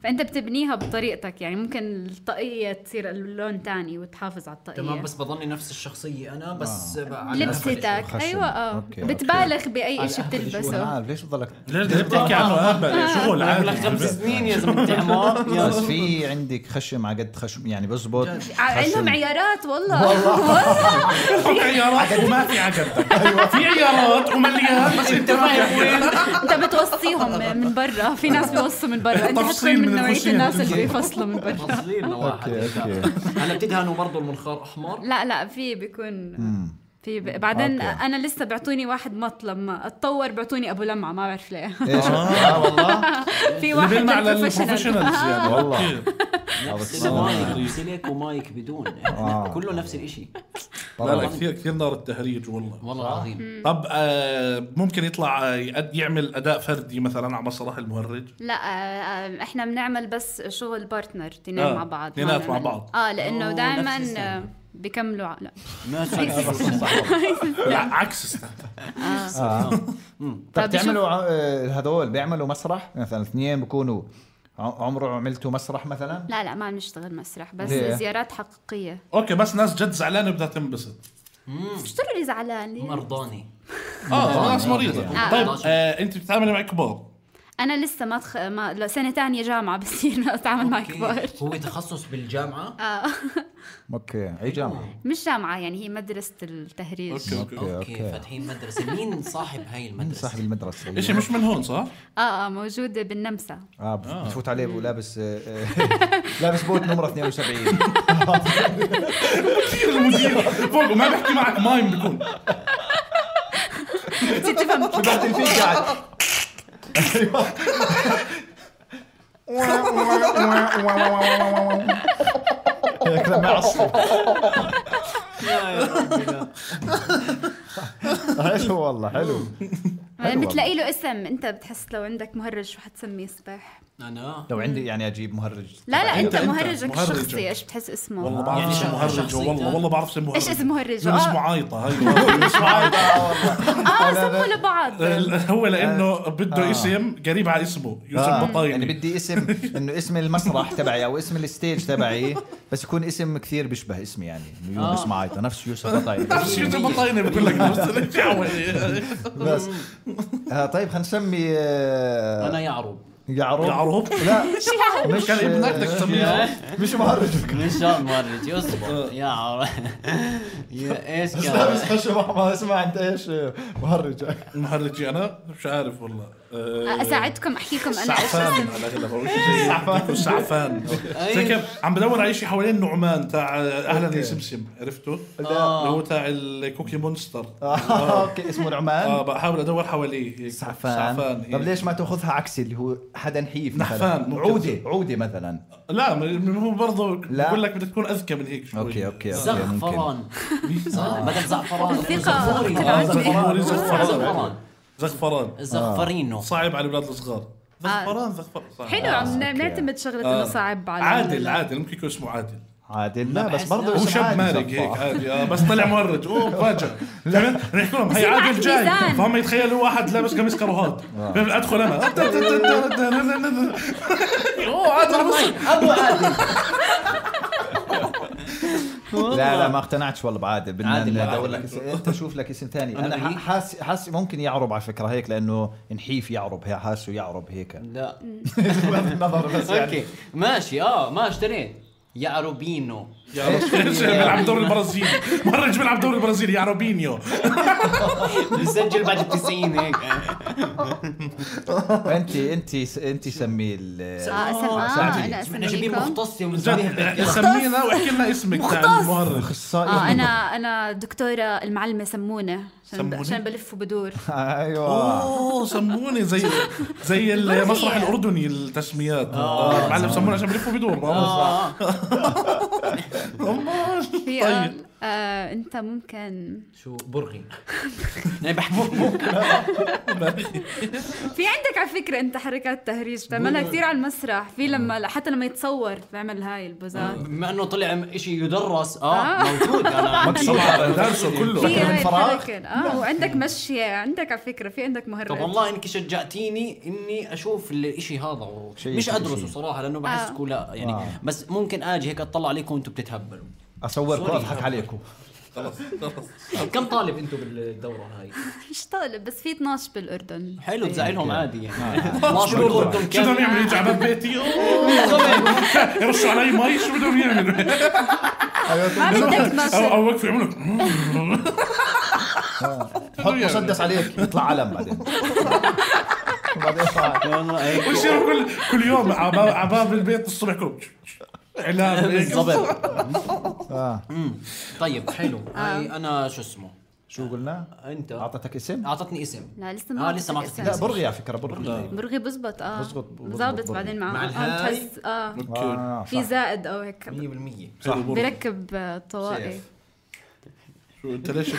Speaker 3: فأنت بتبنيها بطريقتك. يعني ممكن الطاقية تصير اللون تاني وتحافظ على الطاقية.
Speaker 2: تمام، بس بضلني نفس الشخصية أنا بس
Speaker 3: لبستك. أيوة بتبالغ بأي إشي بتلبسه.
Speaker 1: ليش بضلك
Speaker 4: بتحكي عنه شغل عادي.
Speaker 2: 5 سنين يا زلمة حمار.
Speaker 1: بس في عندك خشم على قد خشم يعني بزبط.
Speaker 3: عندهم عيارات والله.
Speaker 4: في عيارات وما في عجلتك. في عيارات ومليان بس انت
Speaker 3: انت بتوصيهم من برا. في ناس بيوصوا من برا، انت حتكون من نوعية الناس اللي بيفصلوا من برا.
Speaker 2: فصلين واحد. هلا بتدهنوا برضو المنخار احمر؟
Speaker 3: لا في بيكون في بعدين انا لسه بيعطوني واحد مط، لما اتطور بيعطوني ابو لمعه ما بعرف ليه.
Speaker 1: والله
Speaker 3: في واحد
Speaker 4: على البروفيشنالز يعني.
Speaker 1: والله
Speaker 2: سلك ومايك بدون كله نفس الاشي.
Speaker 4: لا كثير نار التهريج
Speaker 2: والله العظيم.
Speaker 4: طب ممكن يطلع يعمل اداء فردي مثلا على مسرح المهرج؟
Speaker 3: لا احنا بنعمل بس شغل بارتنر تنين مع بعض.
Speaker 4: مع بعض
Speaker 3: لانه دائما بيكملوا لا
Speaker 4: لا عكس
Speaker 1: طب تعملوا هذول بيعملوا مسرح مثلا 2 بيكونوا عمره عملتوا مسرح مثلا؟ لا
Speaker 3: ما بنشتغل مسرح بس زيارات حقيقية.
Speaker 4: اوكي بس ناس جد زعلانة بدها تنبسط.
Speaker 3: مش ضروري زعلانة،
Speaker 2: مرضاني.
Speaker 4: ناس مريضة. طيب انت بتتعاملي مع كبار؟
Speaker 3: انا لسه ما سنه ثانيه جامعه بصير اتعامل مع كبار.
Speaker 2: هو تخصص بالجامعه؟
Speaker 1: اوكي اي جامعه؟
Speaker 3: مش جامعه يعني، هي مدرسه التهريج.
Speaker 2: اوكي فاتحين مدرسه. مين صاحب هاي المدرسه؟
Speaker 1: صاحب المدرسه
Speaker 4: ايش مش من هون صح؟
Speaker 3: موجود بالنمسا.
Speaker 1: بتفوت عليه ولابس لابس بوت نمره 72.
Speaker 4: كثير المدير فوق ما بحكي معك مايم بيكون
Speaker 3: تفهم
Speaker 1: شو بدك فيك قاعد هيك لما يعصب. حلو والله حلو.
Speaker 3: بتلاقي له اسم. انت بتحس لو عندك مهرج شو حتسميه صباح؟
Speaker 2: انا
Speaker 1: لو عندي يعني اجيب مهرج.
Speaker 3: لا انت مهرجك الشخصي ايش بتحس اسمه؟
Speaker 4: والله بعرف اسم مهرج. والله بعرف اسم مهرج.
Speaker 3: ايش اسم مهرج؟
Speaker 4: اسمه عايطة. ايوه اسمه عايطة
Speaker 3: والله. سموا لبعض.
Speaker 4: هو لانه بده اسم قريب على اسمه يوسف بطايني.
Speaker 1: يعني بدي اسم انه اسم المسرح تبعي او اسم الستيج تبعي بس يكون اسم كثير بيشبه اسمي يعني يونس معايطة نفس يوسف بطايني.
Speaker 4: نفس يوسف بطايني بقول لك
Speaker 1: بس طيب خلينا نسمي
Speaker 2: انا يعرب.
Speaker 1: لا
Speaker 4: مش كان ابنك بدك تسميه
Speaker 1: مش مهرج
Speaker 2: مش مهرج يصبر يا عرب يا ايش كان
Speaker 1: بس خش ما اسمع انت ايش
Speaker 4: مهرجي انا مش عارف والله.
Speaker 3: اساعدكم احكيكم انا
Speaker 4: سعفان على اغلب سعفان زي كيف عم بدور على شيء حوالين نعمان تاع اهلا يا سمسم عرفته اللي هو تاع الكوكي مونستر.
Speaker 1: اوكي اسمه نعمان.
Speaker 4: بحاول ادور حواليه هيك
Speaker 1: سعفان. طب ليش ما تاخذها عكسي اللي هو حدا نحيف
Speaker 4: نحفان
Speaker 1: عودة مثلا؟
Speaker 4: لا هو برضه بقول لك بدك تكون اذكى من هيك شوي.
Speaker 1: اوكي
Speaker 2: زعفران بدل زعفران زغفرينو
Speaker 4: صعب على الاولاد الصغار. زغفران
Speaker 3: حلو. عم نعتمد شغله انه صعب على
Speaker 4: عادل ممكن يكون اسمه عادل.
Speaker 1: لا بس برضه
Speaker 4: هو شاب مارق هيك عادي. بس طلع مهرج فاجأ. نحكي لهم هي عادل جاي فهم يتخيلوا واحد لابس قميص كروهات. ادخل انا عادل
Speaker 2: ابو عادل.
Speaker 1: لا ما اقتنعتش والله بعادل. بدنا ندور لك انت شوف لك اسم ثاني. انا حاس ممكن يعرب على فكره هيك لانه نحيف يعرب هي حاسه يعرب هيك.
Speaker 2: لا
Speaker 1: نظر بس يعني
Speaker 2: اوكي ماشي ما اشتريت يعربينو
Speaker 4: بيلعب دوري البرازيلي. مهرج بيلعب دوري البرازيلي يعربينيو
Speaker 2: بيسجل بعد 90 هيك.
Speaker 1: انت سميه
Speaker 2: احنا جايبين مختص
Speaker 4: سمينا واحكي لنا اسمك تاع المهرج.
Speaker 3: انا دكتوره المعلمه سمونه عشان بلف وبدور.
Speaker 1: ايوه
Speaker 4: سموني زي المسرح الاردني التسميات. المعلم سمونه عشان بلف وبدور.
Speaker 3: طيب انت ممكن
Speaker 2: شو برغي يعني بحكي
Speaker 3: في عندك على فكره انت حركات تهريج بتعملها كثير على المسرح. في لما حتى لما يتصور بيعمل هاي البوزات
Speaker 2: بما انه طلع شيء يدرس موجود. انا
Speaker 1: مكسور درسه كله
Speaker 3: من فراغ. وعندك مشيه عندك على فكره في عندك مهرج.
Speaker 2: طب والله انك شجعتيني اني اشوف الاشي هذا مش ادرسه صراحه لانه بحسكم لا يعني بس ممكن اجي هيك اطلع عليكم وانتم بتتهبلوا
Speaker 1: اصوركم اضحك عليكم.
Speaker 4: خلاص
Speaker 2: كم طالب انتم بالدوره هاي؟
Speaker 3: مش طالب بس في 12 بالاردن.
Speaker 2: حلو بزعلهم عادي يعني 12 بالاردن.
Speaker 4: شو بدهم يعملوا؟ يجي على بيتي يرشوا علي مي. شو بدهم يعملوا؟
Speaker 3: ما بدك 12
Speaker 4: او وقفوا يعملوا
Speaker 1: حط مسدس عليك يطلع علم بعدين
Speaker 4: ويصيروا كل يوم على باب البيت الصبح كلهم اعلان
Speaker 2: بالضبط. طيب حلو. هاي انا شو اسمه
Speaker 1: شو قلنا؟
Speaker 2: انت
Speaker 1: اعطتك اسم؟
Speaker 2: اعطتني اسم.
Speaker 3: لا لسه ما
Speaker 2: اعطتني
Speaker 1: لا برغي على فكره
Speaker 3: برغي بزبط. بزبط بعدين
Speaker 2: مع الهاي
Speaker 3: تحس في زائد او هيك
Speaker 2: 100%
Speaker 3: صح. بيركب طوائي.
Speaker 4: شو انت ليش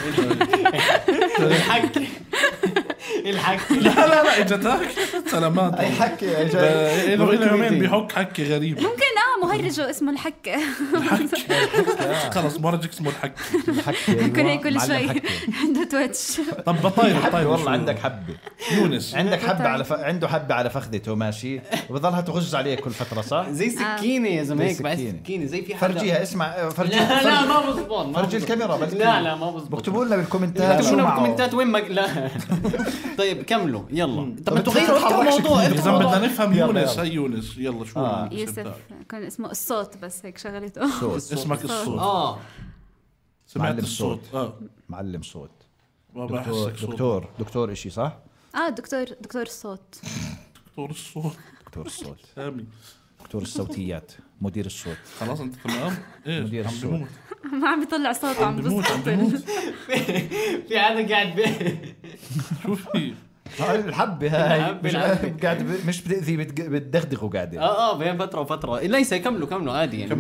Speaker 2: الحكي
Speaker 4: لا اجتك سلامات.
Speaker 1: اي حكي
Speaker 4: جاي له يومين بيحك حكي غريب.
Speaker 3: ممكن مهرجه اسمه الحكي.
Speaker 4: خلص مهرجك اسمه الحكي.
Speaker 3: ممكن هيك كل شوي عنده تويتش.
Speaker 4: طب بطاير
Speaker 1: والله عندك حبه
Speaker 4: يونس
Speaker 1: عندك حبه على عنده حبه على فخذته ماشي وبضلها تغز عليه كل فتره صح
Speaker 2: زي سكينه يا زلمه هيك بعد سكينه زي في حدا
Speaker 1: فرجيها اسمع فرجيها.
Speaker 2: لا ما بزبط
Speaker 1: فرجي الكاميرا بس
Speaker 2: لا ما بزبط.
Speaker 1: اكتبوا لنا بالكومنتات
Speaker 2: اكتبوا لنا بالكومنتات وين لا طيب كملوا يلا. طب انتوا غيروا الموضوع.
Speaker 4: اذا بدنا نفهم يونس. هي يونس يلا شو
Speaker 3: يوسف كان اسمه الصوت بس هيك شغلته
Speaker 4: اسمك الصوت. سمعت الصوت.
Speaker 1: معلم صوت. دكتور اشي صح.
Speaker 3: دكتور الصوت.
Speaker 4: دكتور الصوت
Speaker 1: سامي. دكتور الصوتيات مدير الصوت.
Speaker 4: خلاص انت تمام. ايه
Speaker 1: مدير الصوت
Speaker 3: ما عم بيطلع صوت عم
Speaker 4: بموت.
Speaker 2: في حدا قاعد
Speaker 4: شو في
Speaker 1: الحبة هاي مش بتأذي بتدغدغه قاعدة
Speaker 2: بين فترة وفترة ليس يكملوا عادي يعني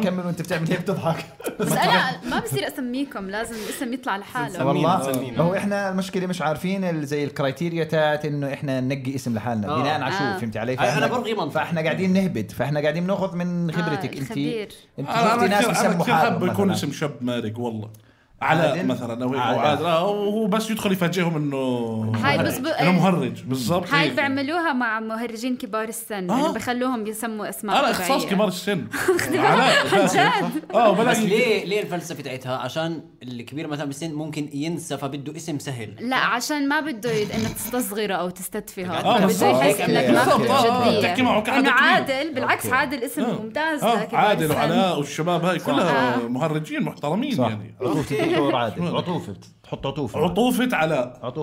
Speaker 1: كمل وانت بتعمل هيك بتضحك
Speaker 3: بس انا ما بصير اسميكم لازم الاسم يطلع لحاله
Speaker 1: والله هو احنا المشكلة مش عارفين زي الكرايتيريا تاعت انه احنا ننقي اسم لحالنا بناء على شو فهمت علي
Speaker 2: انا برغي منطق
Speaker 1: فاحنا قاعدين نهبد فاحنا قاعدين ناخذ من خبرتك انت
Speaker 4: شفتي ناس بيسموا حالهم يكون اسم شاب مارق والله علاء مثلا او عادل وهو بس يدخل يفاجئهم انه انا مهرج بالضبط
Speaker 3: هاي بيعملوها مع مهرجين كبار السن انه بخلوهم يسموا اسماء
Speaker 4: انا اختصاص كبار السن
Speaker 2: بس ليه الفلسفه تاعتها عشان الكبير مثلا بالسن ممكن ينسى فبده اسم سهل
Speaker 3: لا عشان ما بده انك تستصغره او تستدفه بده يحس انك ما في جديه انه عادل بالعكس عادل اسم ممتاز
Speaker 4: عادل وعلاء والشباب هاي كلها مهرجين محترمين يعني
Speaker 1: عطوفة تحط
Speaker 4: عطوفة
Speaker 1: علاء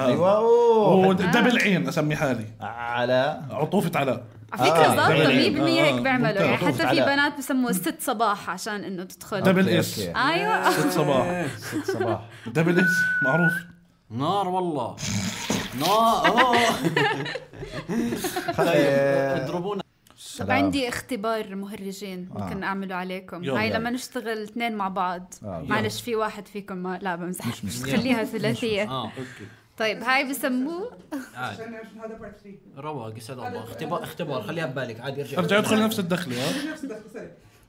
Speaker 1: ايوه
Speaker 4: ودبل عين اسمي حالي
Speaker 1: علاء
Speaker 4: عطوفة علاء
Speaker 3: على فكرة ضابطة 100% هيك بيعملوا يعني حتى في بنات بسموه 6 صباح عشان انه تدخل
Speaker 4: دبل اس
Speaker 3: ايوه
Speaker 4: 6 صباح دبل اس معروف
Speaker 2: نار والله نار اضربونا.
Speaker 3: طب عندي اختبار مهرجين ممكن اعمله عليكم هاي لما نشتغل 2 مع بعض معلش في واحد فيكم ما لا بمزح خليها ثلاثية طيب هاي بسموه
Speaker 2: هذا بارت 3 رواق يسعد الله اختبار خليها ببالك عادي
Speaker 4: ارجع ادخل نفس الدخله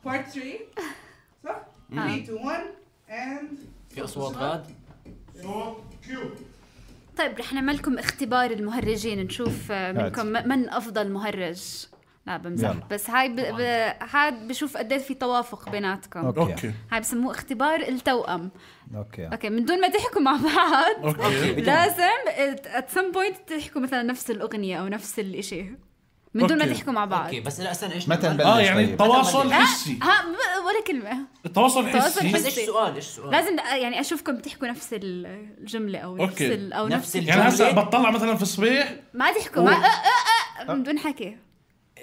Speaker 5: بارت 3 صح 3 2 1 and
Speaker 2: في اصوات غاد
Speaker 3: طيب رح نعمل لكم اختبار المهرجين نشوف منكم من افضل مهرج لا بمزح بس هاي هاد بشوف قديش في توافق بيناتكم
Speaker 4: اوكي
Speaker 3: هاي بسموه اختبار التوأم اوكي من دون ما تحكوا مع بعض لازم at some point تحكوا مثلا نفس الأغنية او نفس الاشي من دون ما تحكوا مع بعض
Speaker 2: اوكي بس لا استنى ايش
Speaker 4: يعني تواصل حسي
Speaker 3: ولا كلمة
Speaker 4: التواصل حسي
Speaker 2: بس ايش السؤال
Speaker 3: لازم يعني اشوفكم تحكوا نفس الجملة او نفس
Speaker 4: يعني هسه بطلع مثلا في الصبيح
Speaker 3: ما تحكوا من دون حكي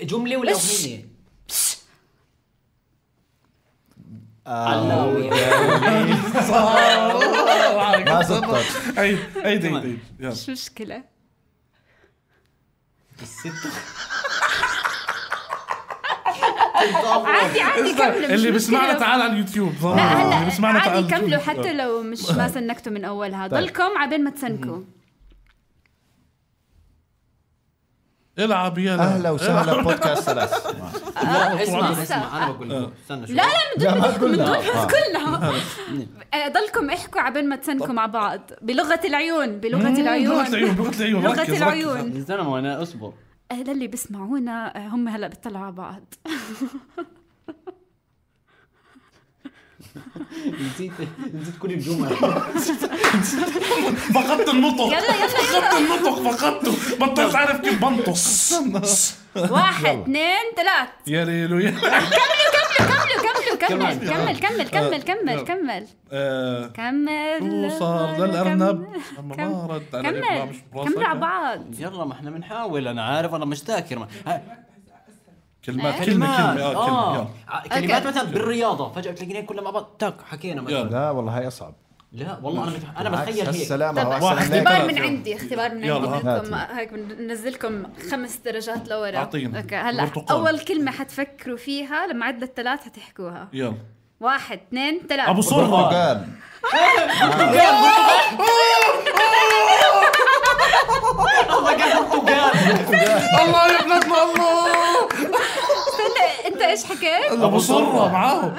Speaker 2: جملة ولا أغنية
Speaker 1: ما زبطت
Speaker 4: اي
Speaker 3: شو مشكلة عادي كملوا
Speaker 4: اللي بسمعنا تعال على اليوتيوب
Speaker 3: لا هلا عادي كملوا حتى لو مش ما سنكتوا من أولها ضلكم عبين ما تسنكوا
Speaker 4: العب يلا
Speaker 1: اهلا وسهلا بودكاست ثلاث
Speaker 2: اسمع انا بقول لكم استنى شوي
Speaker 3: لا من دون كلها ضلكم احكوا عبين ما تسنكوا مع بعض بلغة العيون
Speaker 4: لغة العيون
Speaker 2: استنى وانا اصبر
Speaker 3: هذا اللي بيسمعونا هم هلا بيطلعوا على بعض
Speaker 2: نسيت كل الجمل
Speaker 4: فقدت النطق فقدته بطلت عارف كيف بنطص
Speaker 3: 1 2 3
Speaker 4: يا ليلو
Speaker 3: كمل
Speaker 4: صار للأرنب ما رد على
Speaker 3: كمل على بعض
Speaker 2: يلا ما احنا بنحاول انا عارف انا مش ذاكر
Speaker 4: كلمات
Speaker 2: كلمات مثلا بالرياضة فجأة تلاقينا كلها مع بعض تاك حكينا مثلا
Speaker 1: لا والله هاي أصعب
Speaker 2: لا والله أنا بتخيل هيك
Speaker 3: اختبار من عندي منكم هيك بننزلكم 5 درجات لورا هلا أول كلمة حتفكروا فيها لما عد ل3 حتحكوها
Speaker 4: يلا
Speaker 3: 1 2 3
Speaker 4: أبو صرة الله يا بلادنا الله
Speaker 3: انت ايش حكيت؟
Speaker 4: ابو صرة معاهم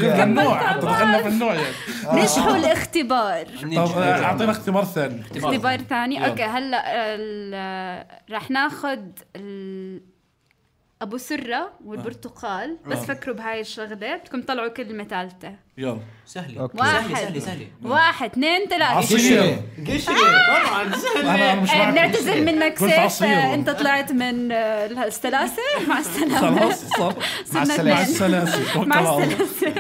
Speaker 4: النوع دخلنا في النوع يعني
Speaker 3: نجحوا الاختبار
Speaker 4: طب اعطينا اختبار ثاني
Speaker 3: اوكي هلا رح ناخذ ابو سرة والبرتقال بس فكروا بهاي الشغله بدكم تطلعوا كلمه ثالثه
Speaker 4: يلا
Speaker 2: سهله 1 2 3
Speaker 4: قشري
Speaker 2: طبعا
Speaker 4: سهله
Speaker 3: نعتذر منك سيف انت طلعت من السلاسه مع السلامه
Speaker 4: مع السلاسه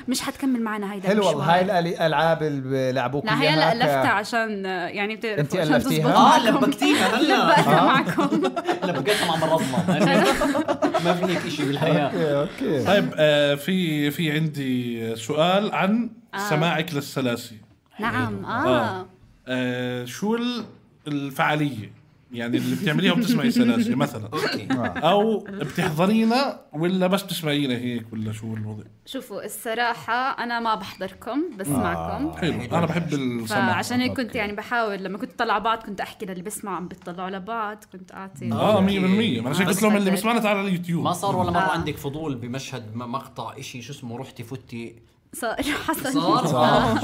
Speaker 3: مش حتكمل معنا هيدا
Speaker 1: حلو والله هاي الالعاب اللي لعبوك
Speaker 3: لا هي لا لفتها عشان يعني
Speaker 1: انت الفتيها
Speaker 2: لبكتيها
Speaker 3: هلا معكم
Speaker 2: لبقيتها مع مرضنا ما في هيك شيء بالحياه
Speaker 1: اوكي
Speaker 4: طيب في عندي سؤال عن سماعك للسلاسي
Speaker 3: نعم
Speaker 4: شو الفعالية يعني اللي بتعمليها وبتسمعي سلاسة مثلا أو بتحضرينا ولا بس تسمعينا هيك ولا شو الوضع؟
Speaker 3: شوفوا الصراحة أنا ما بحضركم بسمعكم.
Speaker 4: حلو أنا بحب السمع.
Speaker 3: عشان هيك كنت يعني بحاول لما كنت طلع بعض كنت أحكي للي بسمع عم بيطلعوا على بعض كنت أعطي
Speaker 4: 100%. أنا عشان قلت لهم اللي بسمعنا تعال على اليوتيوب.
Speaker 2: ما صار ولا مرة عندك فضول بمشهد مقطع إشي شو اسمه رحتي فتي؟
Speaker 3: صار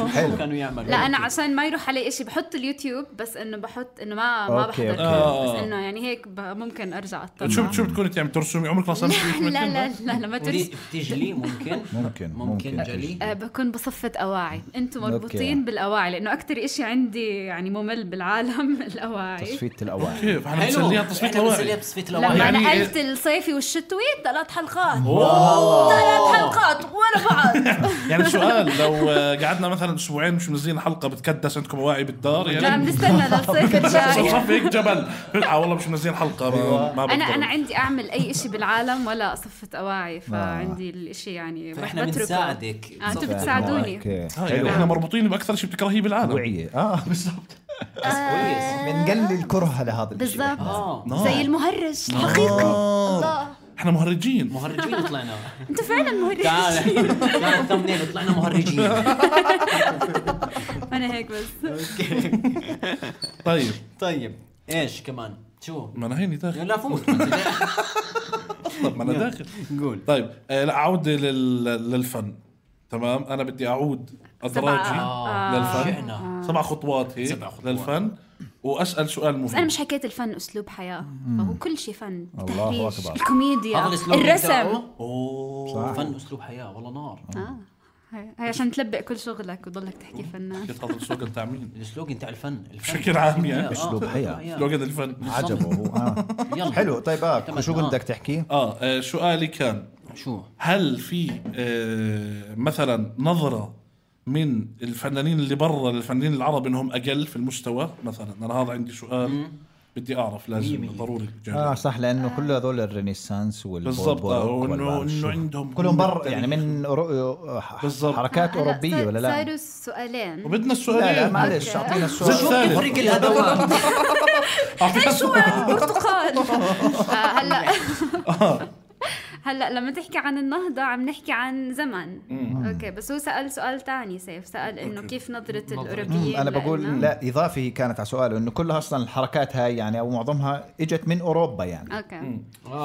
Speaker 2: حلو كانوا يعملوا.
Speaker 3: لا انا عشان ما يروح علي إشي بحط اليوتيوب بس انه بحط انه ما بحضر بس انه يعني هيك ممكن ارجع اطلع.
Speaker 4: شو بتكوني تعمل ترسمي عمرك ما صمتي؟
Speaker 3: لا ما ترسم.
Speaker 2: بتجلي ممكن جلي.
Speaker 3: بكون بصفة أواعي. انتم مربوطين بالأواعي لانه اكثر إشي عندي يعني ممل بالعالم الأواعي.
Speaker 1: تصفية الأواعي
Speaker 4: كيف احنا بنسليها تصفية الأواعي.
Speaker 3: لما
Speaker 4: يعني
Speaker 3: نقلت الصيفي والشتوي 3 حلقات 3 حلقات ولا بعض.
Speaker 4: يعني سؤال لو قعدنا مثلا اسبوعين مش منزلين حلقه بتكدس عندكم واعي بالدار يعني
Speaker 3: لا بنستنى للصيف الجاي
Speaker 4: صف هيك جبل والله مش منزلين حلقه ما
Speaker 3: انا عندي اعمل اي شيء بالعالم ولا اصفة اواعي فعندي الاشي يعني
Speaker 2: احنا بنساعدك
Speaker 3: انتم بتساعدوني
Speaker 4: يعني احنا مربوطين باكثر شيء بتكرهيه بالعالم
Speaker 1: وعيه بالضبط
Speaker 2: كويس
Speaker 1: بنقلل الكره لهذا
Speaker 3: بالضبط زي المهرج حقيقي الله
Speaker 4: احنا مهرجين
Speaker 2: طلعنا.
Speaker 3: انت فعلا مهرج.
Speaker 2: تعال الثمنيل طلعنا مهرجين.
Speaker 3: انا هيك بس.
Speaker 4: طيب
Speaker 2: ايش كمان شو
Speaker 4: ما انا هيني داخل
Speaker 2: لا فوت.
Speaker 4: طب ما انا داخل
Speaker 2: قول.
Speaker 4: طيب لا اعود للفن. تمام انا بدي اعود ادراجي للفن 7 خطوات هيك للفن واسال سؤال مهم.
Speaker 3: انا مش حكيت الفن اسلوب حياه فهو كل شيء فن.
Speaker 1: الله اكبر.
Speaker 3: الكوميديا الرسم
Speaker 2: فن اسلوب حياه والله نار.
Speaker 3: هي عشان تلبق كل شغلك وتضلك تحكي فنان.
Speaker 4: هذا السلوغن تاع مين؟
Speaker 2: السلوغن تاع الفن
Speaker 4: بشكل عام يعني
Speaker 1: اسلوب حياه
Speaker 4: سلوغن الفن
Speaker 1: عجبه حلو. طيب شو بدك تحكي؟
Speaker 4: سؤالي كان
Speaker 2: شو
Speaker 4: هل في مثلا نظرة من الفنانين اللي برا للفنانين العرب انهم اقل في المستوى مثلا؟ انا هذا عندي سؤال بدي اعرف لازم ضروري
Speaker 1: صح لانه كل هذول الرينيسانس
Speaker 4: بالضبط وانه عندهم
Speaker 1: كلهم برا يعني من حركات اوروبيه ولا لا؟
Speaker 3: صاروا السؤالين
Speaker 4: وبدنا السؤالين.
Speaker 1: لا معلش اعطينا السؤال
Speaker 2: شو بيفرق الادوات؟
Speaker 3: شو البرتقال هلا لما تحكي عن النهضة عم نحكي عن زمن. اوكي بس هو سأل سؤال تاني سأل انه كيف نظرة الأوروبيين.
Speaker 1: انا بقول لا اضافي كانت على سؤاله انه كلها اصلا الحركات هاي يعني او معظمها اجت من اوروبا يعني.
Speaker 3: اوكي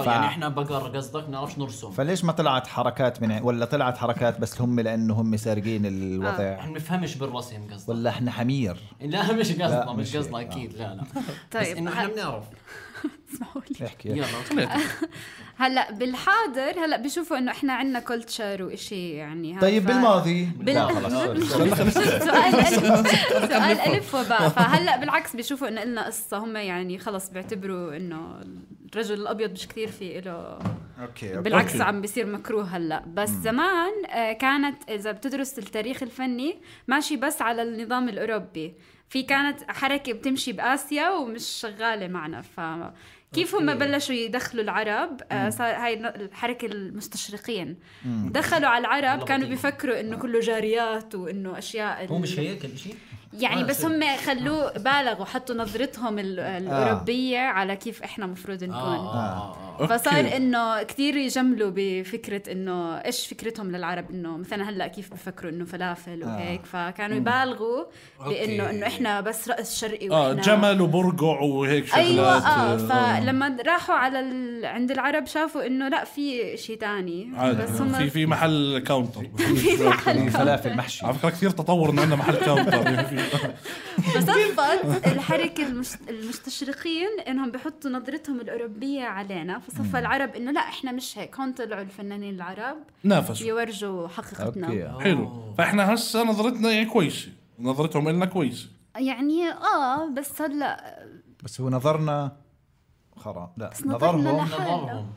Speaker 2: يعني احنا بقر قصدك نعرفش نرسم.
Speaker 1: فليش ما طلعت حركات من ولا طلعت حركات بس هم لانه هم سارقين الوضع؟
Speaker 2: احنا بنفهمش بالرسم قصدك
Speaker 1: ولا احنا حمير؟
Speaker 2: لا مش قصدنا اكيد لا
Speaker 3: طيب
Speaker 2: بس انه احنا بنعرف.
Speaker 3: اسمحوا لي
Speaker 1: احكي
Speaker 2: يلا.
Speaker 3: هلا بالحاضر هلا بيشوفوا انه احنا عندنا كلتشر وإشي يعني.
Speaker 1: طيب بالماضي
Speaker 3: لا خلص سؤال ألف وباء. فهلا بالعكس بيشوفوا انه لنا قصة هم يعني خلص بيعتبروا انه الرجل الابيض مش كتير في له. بالعكس عم بيصير مكروه هلا. بس زمان كانت اذا بتدرس التاريخ الفني ماشي بس على النظام الاوروبي. في كانت حركة بتمشي بآسيا ومش شغالة معنا. كيف هم بلشوا يدخلوا العرب صار هاي الحركة المستشرقين دخلوا على العرب كانوا بيفكروا انه كله جاريات وانه اشياء.
Speaker 2: هو مش هيك الشيء
Speaker 3: يعني بس هم خلوه بالغوا حطوا نظرتهم الأوروبية على كيف احنا مفروض نكون. فصار انه كتير يجملوا بفكرة انه ايش فكرتهم للعرب انه مثلا هلا كيف بفكروا انه فلافل وهيك. فكانوا يبالغوا بانه احنا بس رأس شرقي واحنا
Speaker 4: جمل وبرقع وهيك شغلات.
Speaker 3: ايوه فلما راحوا على عند العرب شافوا انه لا في شيء تاني.
Speaker 4: بس هم في محل كاونتر
Speaker 3: في محل
Speaker 1: فلافل محشي.
Speaker 4: على فكرة كثير تطور انه عندنا محل كاونتر.
Speaker 3: فصفت الحركة المستشرقين انهم بيحطوا نظرتهم الأوروبية علينا. فصفى العرب انه لا احنا مش هيك. هون طلعوا الفنانين العرب
Speaker 4: نافسوا
Speaker 3: يورجوا حقيقتنا.
Speaker 4: حلو. فاحنا هسه نظرتنا يعني كويسة نظرتهم لنا كويسة
Speaker 3: يعني بس هلا
Speaker 1: بس هو نظرنا لا
Speaker 2: نظرهم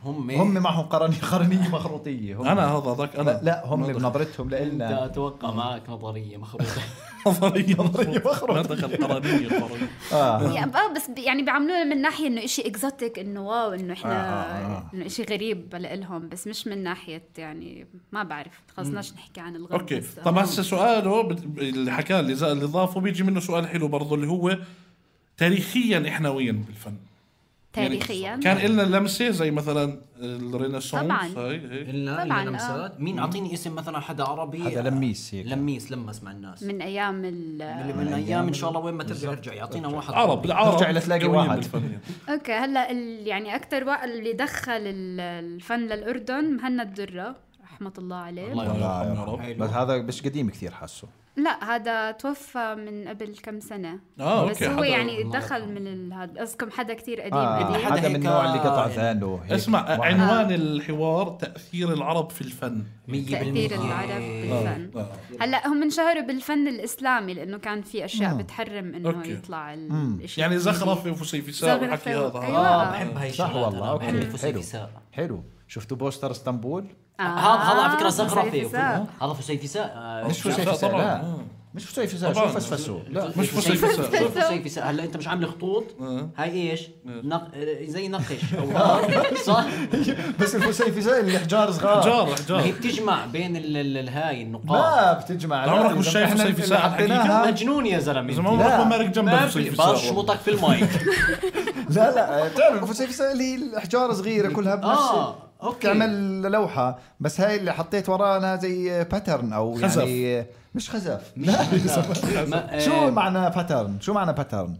Speaker 1: هم معهم قرنية مخروطية.
Speaker 4: أنا هذا ذاك أنا
Speaker 1: لا هم بنظرتهم لإلنا.
Speaker 2: أتوقع معك نظرية مخروطة.
Speaker 4: نظرية مخروطة. ما دخل قرنية
Speaker 3: بس يعني بيعاملونا من ناحية إنه إشي إكزوتيك، إنه واو، إنه إحنا إنه إشي غريب لإلهم، بس مش من ناحية يعني ما بعرف، خلصناش نحكي عن الغرب.
Speaker 4: أوكي طب هسه سؤاله اللي حكاه اللي ضافه بيجي منه سؤال حلو برضو، اللي هو تاريخيا إحنا وين بالفن؟
Speaker 3: تاريخيا
Speaker 4: يعني كان إلنا لمسة زي مثلا الرينيسانس.
Speaker 3: طبعا
Speaker 2: إلنا لمسات. مين أعطيني اسم مثلا حدا عربي؟
Speaker 1: حدا لميس هيك.
Speaker 2: لمس مع الناس
Speaker 3: من أيام
Speaker 2: من أيام إن شاء الله وين ما ترجع يرجع يعطينا واحد
Speaker 4: عرب
Speaker 1: ترجع لتلاقي واحد.
Speaker 3: أوكي هلا يعني أكتر واحد اللي دخل الفن للأردن مهند درة رحمة الله عليه.
Speaker 1: الله بس هذا مش قديم كثير حاسه.
Speaker 3: لا هذا توفى من قبل كم سنة. بس هو يعني دخل من هذا قصدكم حدا كتير قديم.
Speaker 1: حدا من النوع اللي قطع ذانه.
Speaker 4: اسمع عنوان الحوار تأثير العرب في الفن.
Speaker 3: تأثير العرب بالفن. هلا هم انشهروا بالفن الإسلامي لأنه كان في أشياء بتحرم إنه يطلع الشيء
Speaker 4: يعني زخرفة وفسيفساء وحكي هذا.
Speaker 2: بحب هاي
Speaker 1: صح والله.
Speaker 2: الفسيفساء
Speaker 1: حلو. شفتوا بوستر اسطنبول؟
Speaker 2: هذا على فكرة زخرفة. هذا فسيفساء.
Speaker 1: مش فسيفساء لا. مش فسيفساء شو فسفسوا. لا
Speaker 4: مش
Speaker 2: فسيفساء. هلا انت مش عامل خطوط هاي ايش زي نقش او صح.
Speaker 1: بس الفسيفساء اللي حجار صغار.
Speaker 2: حجار هي بتجمع بين الهاي النقاط.
Speaker 1: ما بتجمع.
Speaker 4: عمرك مش شايف فسيفساء حقيقة؟
Speaker 2: مجنون يا زلمه.
Speaker 4: ما مارك جنب الفسيفساء
Speaker 2: برشمطك في المايك.
Speaker 1: لا تعرف الفسيفساء اللي هي الحجار صغيرة كلها بنفس تعمل لوحة، بس هاي اللي حطيت ورانا زي باترن او
Speaker 4: خزف.
Speaker 1: يعني مش خزف. لا شو معنى باترن؟ شو معنى باترن؟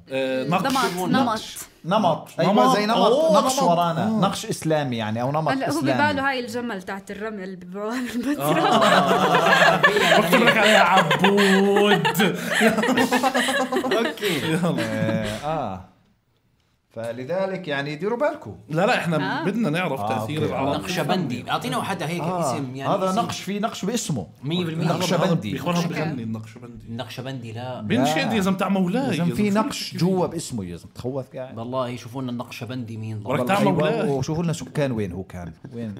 Speaker 1: نمط. ايوه زي نقش ورانا. نقش اسلامي يعني او نمط
Speaker 3: هلا
Speaker 1: اسلامي.
Speaker 3: هو بباله هاي الجمل تاعت الرمل ببيعوها بالمترو.
Speaker 4: بكتب لك عليها عبود.
Speaker 2: اوكي
Speaker 1: فلذلك يعني ديروا بالكم.
Speaker 4: لا احنا بدنا نعرف تأثير العرب.
Speaker 2: نقشبندي اعطينا حدا هيك اسم يعني
Speaker 1: هذا نقش في نقش باسمه 100%.
Speaker 4: نقشبندي بيخونهم بغني
Speaker 2: النقشبندي. لا
Speaker 4: بنشد يا زلمه تاع مولاي
Speaker 1: يا زلمه في نقش جوا باسمه يا زلمه تخوف قاعد
Speaker 2: والله. يشوفوا لنا النقشبندي مين
Speaker 1: وشوفوا لنا سكان وين هو كان وين.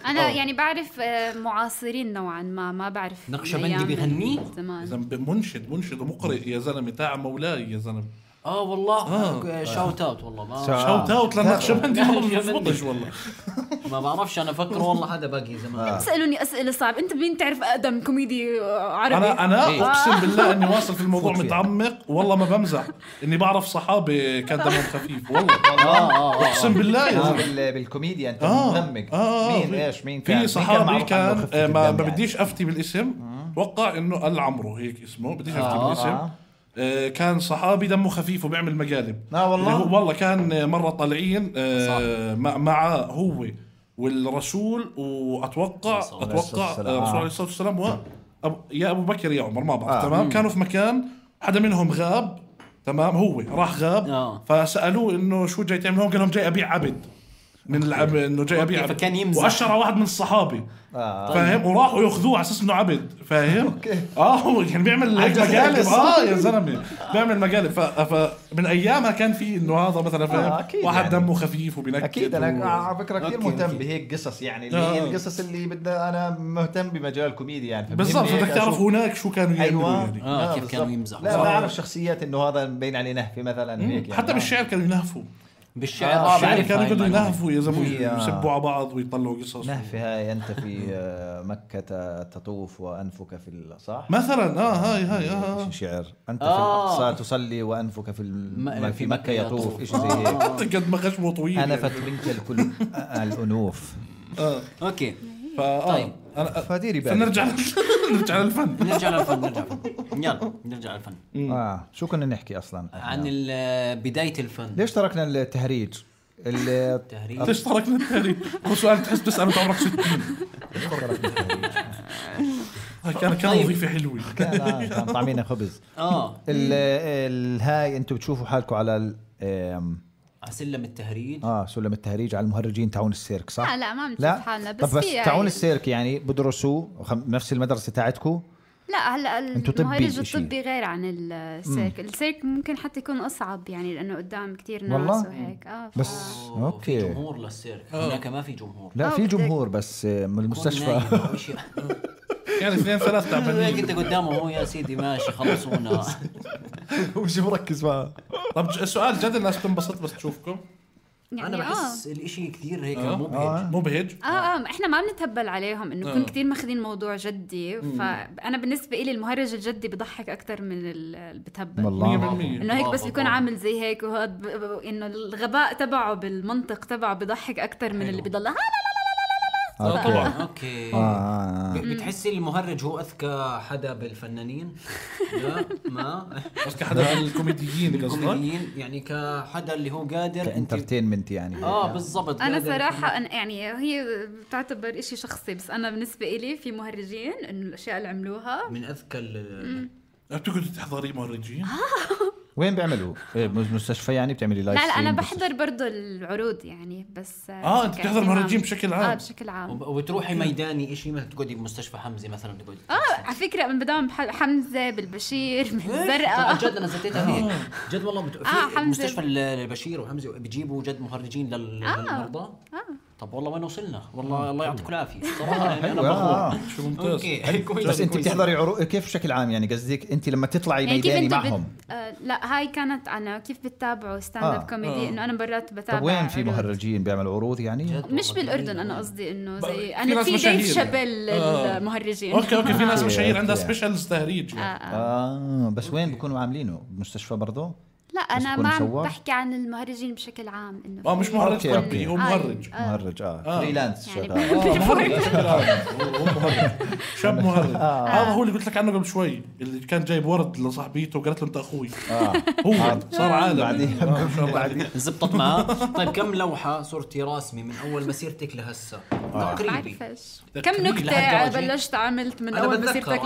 Speaker 3: انا يعني بعرف معاصرين نوعا ما بعرف
Speaker 2: نقشبندي بغني
Speaker 4: منشد ومقرئ يا زلمه تاع مولاي يا زلمه.
Speaker 2: والله شاوت اوت والله
Speaker 4: شاوت اوت للنقشبندي. والله
Speaker 2: ما بعرفش انا فكر والله حدا باقي زمان.
Speaker 3: تسألوني أسئلة صعبة. انت مين تعرف اقدم كوميدي عربي؟
Speaker 4: انا اقسم بالله اني واصل في الموضوع متعمق والله ما بمزح اني بعرف صحابي كان دمهم خفيف والله. اقسم بالله
Speaker 1: بالكوميديا انت مغمق. مين كان؟
Speaker 4: في صحابي كان ما بديش افتي بالاسم. اتوقع انه العمرو هيك اسمه. بديش افتي بالاسم. كان صحابي دمه خفيف وبيعمل مقالب. والله كان مرة طالعين مع هو والرسول وأتوقع الرسول عليه الصلاة والسلام يا أبو بكر يا عمر ما بعرف. تمام. كانوا في مكان حدا منهم غاب. تمام. هو راح غاب. فسألوه إنه شو جاي تعمل هون؟ قال لهم جاي أبيع عبد من العب انه جاي ابيع.
Speaker 2: فكان يمزح.
Speaker 4: واشر واحد من الصحابي فاهم وراحوا ياخذوه على اساس انه عبد فاهم. هو كان بيعمل هيك مقالب. يا زلمه بيعمل مقالب. فمن ايامها كان في انه هذا مثلا فاهم واحد دمه خفيف وبينكت.
Speaker 1: اكيد انا على فكره كثير مهتم بهيك قصص يعني اللي هي القصص اللي بدنا. انا مهتم بمجال الكوميديا يعني
Speaker 4: بالضبط. بدك تعرف هناك شو كانوا يعملوا
Speaker 2: يعني كيف كانوا يمزحوا.
Speaker 1: لا بعرف شخصيات انه هذا مبين عليه نهفه مثلا هيك
Speaker 4: حتى بالشعر كانوا ينهفوا.
Speaker 2: بالشعر
Speaker 4: كانوا يقعدوا ينهفوا يا زلمه يسبوا على بعض ويطلعوا قصص.
Speaker 1: نهفه هاي انت في مكة تطوف وانفك في صح
Speaker 4: مثلا. هاي
Speaker 1: شعر انت في الاقصى تصلي وانفك في مكة يطوف. ايش زي هيك.
Speaker 4: قد ما خشمه طويل.
Speaker 1: انفت منك الكل الانوف.
Speaker 2: اوكي
Speaker 1: طيب فديري بالك.
Speaker 4: نرجع للفن.
Speaker 2: يلا نرجع للفن.
Speaker 1: شو كنا نحكي اصلا
Speaker 2: عن بداية الفن.
Speaker 1: ليش تركنا التهريج؟
Speaker 4: ليش تركنا التهريج؟ هو سؤال تحس تسأله انت عمرك 60. كان وظيفة حلوة.
Speaker 1: كان طعمينا خبز. الهاي انتم بتشوفوا حالكم على
Speaker 2: سلم التهريج.
Speaker 1: سلم التهريج على المهرجين تاعون السيرك صح؟
Speaker 3: لا ما بنشوف حالنا. بس
Speaker 1: تاعون السيرك يعني بدرسوا نفس المدرسة تاعتكم
Speaker 3: لا هلا المهرج الطبي غير عن السيرك. السيرك ممكن حتى يكون اصعب يعني لانه قدام كتير ناس وهيك.
Speaker 1: بس اوكي
Speaker 2: في جمهور للسيرك. هناك ما في جمهور.
Speaker 1: لا في جمهور بس من المستشفى
Speaker 4: يعني 2-3 تعبانين.
Speaker 2: انت قدامه هو يا سيدي ماشي خلصونا
Speaker 1: ومش مركز معه.
Speaker 4: طب السؤال جد الناس بتنبسط بس تشوفكم؟
Speaker 3: يعني
Speaker 2: انا بحس الاشي كثير هيك مبهج.
Speaker 4: مبهج.
Speaker 3: احنا ما بنتهبل عليهم انه يكون كثير ماخذين موضوع جدي. فانا بالنسبه لي المهرج الجدي بضحك اكثر من اللي بتهبل. انه هيك بس بيكون عامل زي هيك وهذا انه الغباء تبعه بالمنطق تبعه بضحك اكثر من اللي بيضل
Speaker 4: طبعا.
Speaker 2: اوكي. بتحسي المهرج هو اذكى حدا بالفنانين؟ لا ما
Speaker 4: اذكى حدا بالكوميديين
Speaker 2: يعني كحدا اللي هو قادر
Speaker 1: كانترتينمنت يعني.
Speaker 2: بالضبط.
Speaker 3: انا صراحه يعني هي بتعتبر إشي شخصي بس انا بالنسبه إلي في مهرجين انه الاشياء اللي عملوها
Speaker 2: من اذكى
Speaker 4: بتقعدي تحضري مهرجين؟
Speaker 1: وين بيعملوا؟ مستشفى يعني بتعملي لايف؟
Speaker 3: لا انا بحضر برضو العروض يعني بس
Speaker 4: انت بتحضر مهرجين بشكل عام؟
Speaker 3: بشكل عام.
Speaker 2: وبتروحي ميداني شيء مثل تقعدي بمستشفى حمزه مثلا تقعدي
Speaker 3: على فكره من بدام حمزه بالبشير بالزرقاء
Speaker 2: جد انا زتيتها هيك جد والله في مستشفى البشير وحمزه بيجيبوا جد مهرجين للمرضى. طب والله وين وصلنا والله الله يعطيكم العافيه صراحه يعني انا بخور.
Speaker 4: شو ممتاز.
Speaker 1: بس انت بتحضري عروض كيف بشكل عام يعني قصدك انت لما تطلعي ميداني معهم؟
Speaker 3: لا هاي كانت انا كيف بتتابعوا ستاند اب كوميدي انه انا مرات بتابع.
Speaker 1: طب وين في مهرجين بيعملوا عروض يعني؟
Speaker 3: مش بالاردن انا قصدي انه زي انا في ديف شابيل المهرجين.
Speaker 4: اوكي في ناس مشاهير عندها سبيشالز تهريج.
Speaker 1: بس وين بيكونوا عاملينه بمستشفى برضه؟
Speaker 3: لا انا ما بحكي عن المهرجين بشكل عام انه
Speaker 4: مش مهرج طبي هو مهرج.
Speaker 1: مهرج فريلانس شغال.
Speaker 4: شاب مهرج. هذا هو اللي قلت لك عنه قبل شوي اللي كان جايب ورد لصاحبيته وقالت له انت اخوي. هو صار عالم
Speaker 1: بعدين
Speaker 2: زبطت معاه. طيب كم لوحه صرتي راسمه من اول مسيرتك لهسه تقريبا؟
Speaker 3: كم نكته بلشت عملت من اول مسيرتك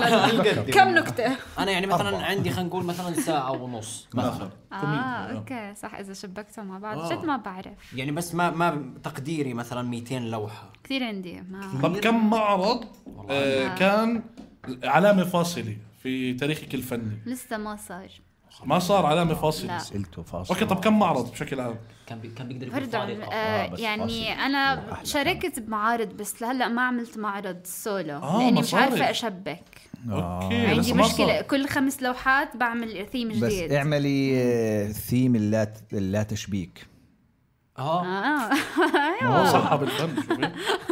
Speaker 3: كم نكته؟
Speaker 2: انا يعني مثلا عندي خلينا نقول مثلا ساعه ونص مثلا.
Speaker 3: اوكي صح اذا شبكتهم مع بعض جد ما بعرف
Speaker 2: يعني بس ما تقديري مثلا 200 لوحه
Speaker 3: كثير عندي.
Speaker 4: طب كم معرض كان علامه فاصله في تاريخك الفني؟
Speaker 3: لسه
Speaker 4: ما صار علامه فاصله.
Speaker 1: سئلته فاصله.
Speaker 4: اوكي طب كم معرض بشكل عام؟
Speaker 2: كان بيقدر يكون
Speaker 3: يعني انا شاركت بمعارض بس لهلا ما عملت معرض سولو لاني مش عارفه اشبك.
Speaker 4: اوكي
Speaker 3: عندي مشكله كل 5 لوحات بعمل ثيم جديد.
Speaker 1: بس اعملي ثيم اللا تشبيك.
Speaker 4: صح بالفن.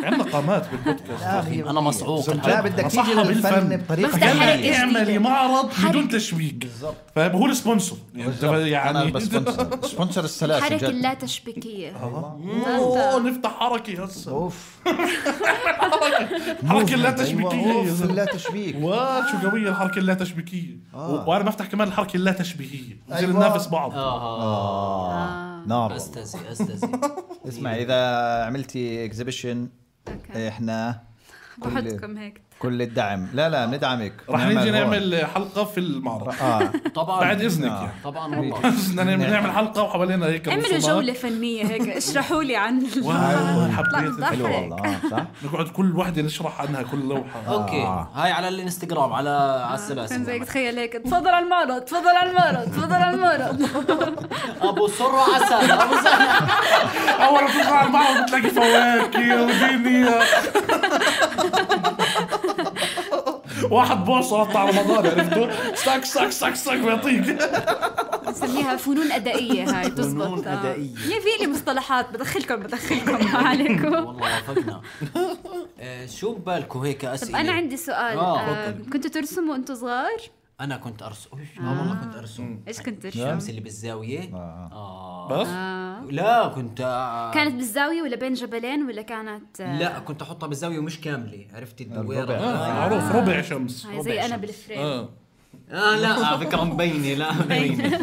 Speaker 4: عندنا قامات بالبودكاست.
Speaker 2: انا مصعوق.
Speaker 1: لا بدك تيجي للفن بطريقه
Speaker 4: اعملي معرض بدون تشبيك بالضبط. فهو السبونسر يعني
Speaker 1: سبونسر السلاسل
Speaker 3: حركه اللا تشبيكيه.
Speaker 4: نفتح حركه هسه
Speaker 1: حركه
Speaker 4: اللا تشبيكيه.
Speaker 1: لا تشبيك
Speaker 4: شو قويه الحركه اللا تشبيكيه. وانا بفتح كمان الحركه اللا تشبيهيه نصير ننافس بعض.
Speaker 1: نار.
Speaker 2: استاذي
Speaker 1: اسمع اذا عملتي اكزيبيشن احنا
Speaker 3: بحطكم هيك
Speaker 1: كل الدعم. لا ندعمك.
Speaker 4: رح نيجي نعمل حلقه في المعرض.
Speaker 2: طبعا
Speaker 4: بعد اذنك يعني.
Speaker 2: طبعا والله
Speaker 4: بدنا نعمل حلقه وحوالينا هيك
Speaker 3: اعملوا جوله فنيه هيك اشرحوا لي عن
Speaker 4: حبيت
Speaker 1: حلو والله صح.
Speaker 4: نقعد كل وحده نشرح عنها كل لوحه.
Speaker 2: اوكي هاي على الانستغرام على السلاسل
Speaker 3: زي تخيل هيك تفضل على المعرض تفضل على المعرض تفضل على المعرض
Speaker 2: ابو سر عسل ابو سر.
Speaker 4: اول ما تطلع على المعرض بتلاقي فواكه ودنيا. واحد بوصل طلع رمضان عرفته ساك ساك ساك ساك بيعطيك.
Speaker 3: نسميها فنون أدائية. هاي تزبط.
Speaker 2: فنون أدائية.
Speaker 3: في لي مصطلحات بدخلكم ما عليكم.
Speaker 2: والله وافقنا. شو ببالكم هيك أسئلة؟
Speaker 3: طب أنا عندي سؤال. كنتوا ترسموا وأنتوا صغار؟
Speaker 2: أنا كنت أرسم. والله كنت أرسم.
Speaker 3: إيش كنت ترسم؟
Speaker 2: الشمس اللي بالزاوية.
Speaker 4: بس؟
Speaker 2: لا كنت
Speaker 3: كانت بالزاوية ولا بين جبلين ولا كانت؟
Speaker 2: لا كنت أحطها بالزاوية ومش كاملة. عرفتي الدويرة؟
Speaker 4: معروف ربع شمس.
Speaker 3: زي أنا بالفريم.
Speaker 2: لا على فكرة مبينة. لا مبينة.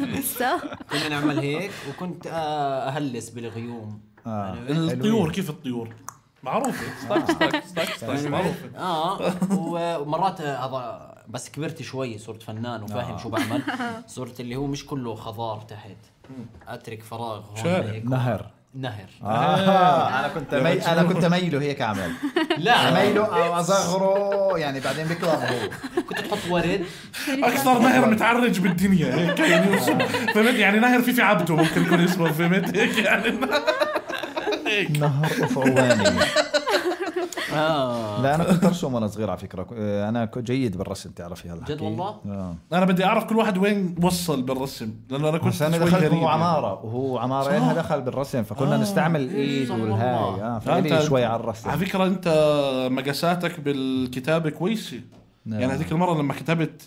Speaker 2: كنا نعمل هيك وكنت أهلس بالغيوم.
Speaker 4: الطيور كيف الطيور؟ معروفة. ستاك
Speaker 2: معروفة. ومرات هذا بس كبرت شوي صرت فنان وفاهم شو بعمل. صرت اللي هو مش كله خضار تحت. أترك فراغ هون.
Speaker 1: نهر
Speaker 2: نهر.
Speaker 1: انا كنت ميله هيك اعمل.
Speaker 2: لا
Speaker 1: ميله او اصغره يعني بعدين بيكبر هو.
Speaker 2: كنت تحط ورد.
Speaker 4: اكثر نهر متعرج بالدنيا هيك يعني فهمت يعني نهر في عبده ممكن يكون اسمه فهمت هيك يعني
Speaker 1: نهر أفعواني. لا أنا كنت أرسم وأنا صغير على فكرة. أنا كنت جيد بالرسم تعرفي هلا.
Speaker 2: جد والله.
Speaker 4: أنا بدي أعرف كل واحد وين وصل بالرسم لأنه أنا كنت
Speaker 1: أنا دخلت هو عمارة وهو عمارة دخل بالرسم فكنا نستعمل الإيد والهاي فإلي شوي على الرسم.
Speaker 4: على فكرة أنت مقاساتك بالكتابة كويسة. يعني هذيك المرة لما كتبت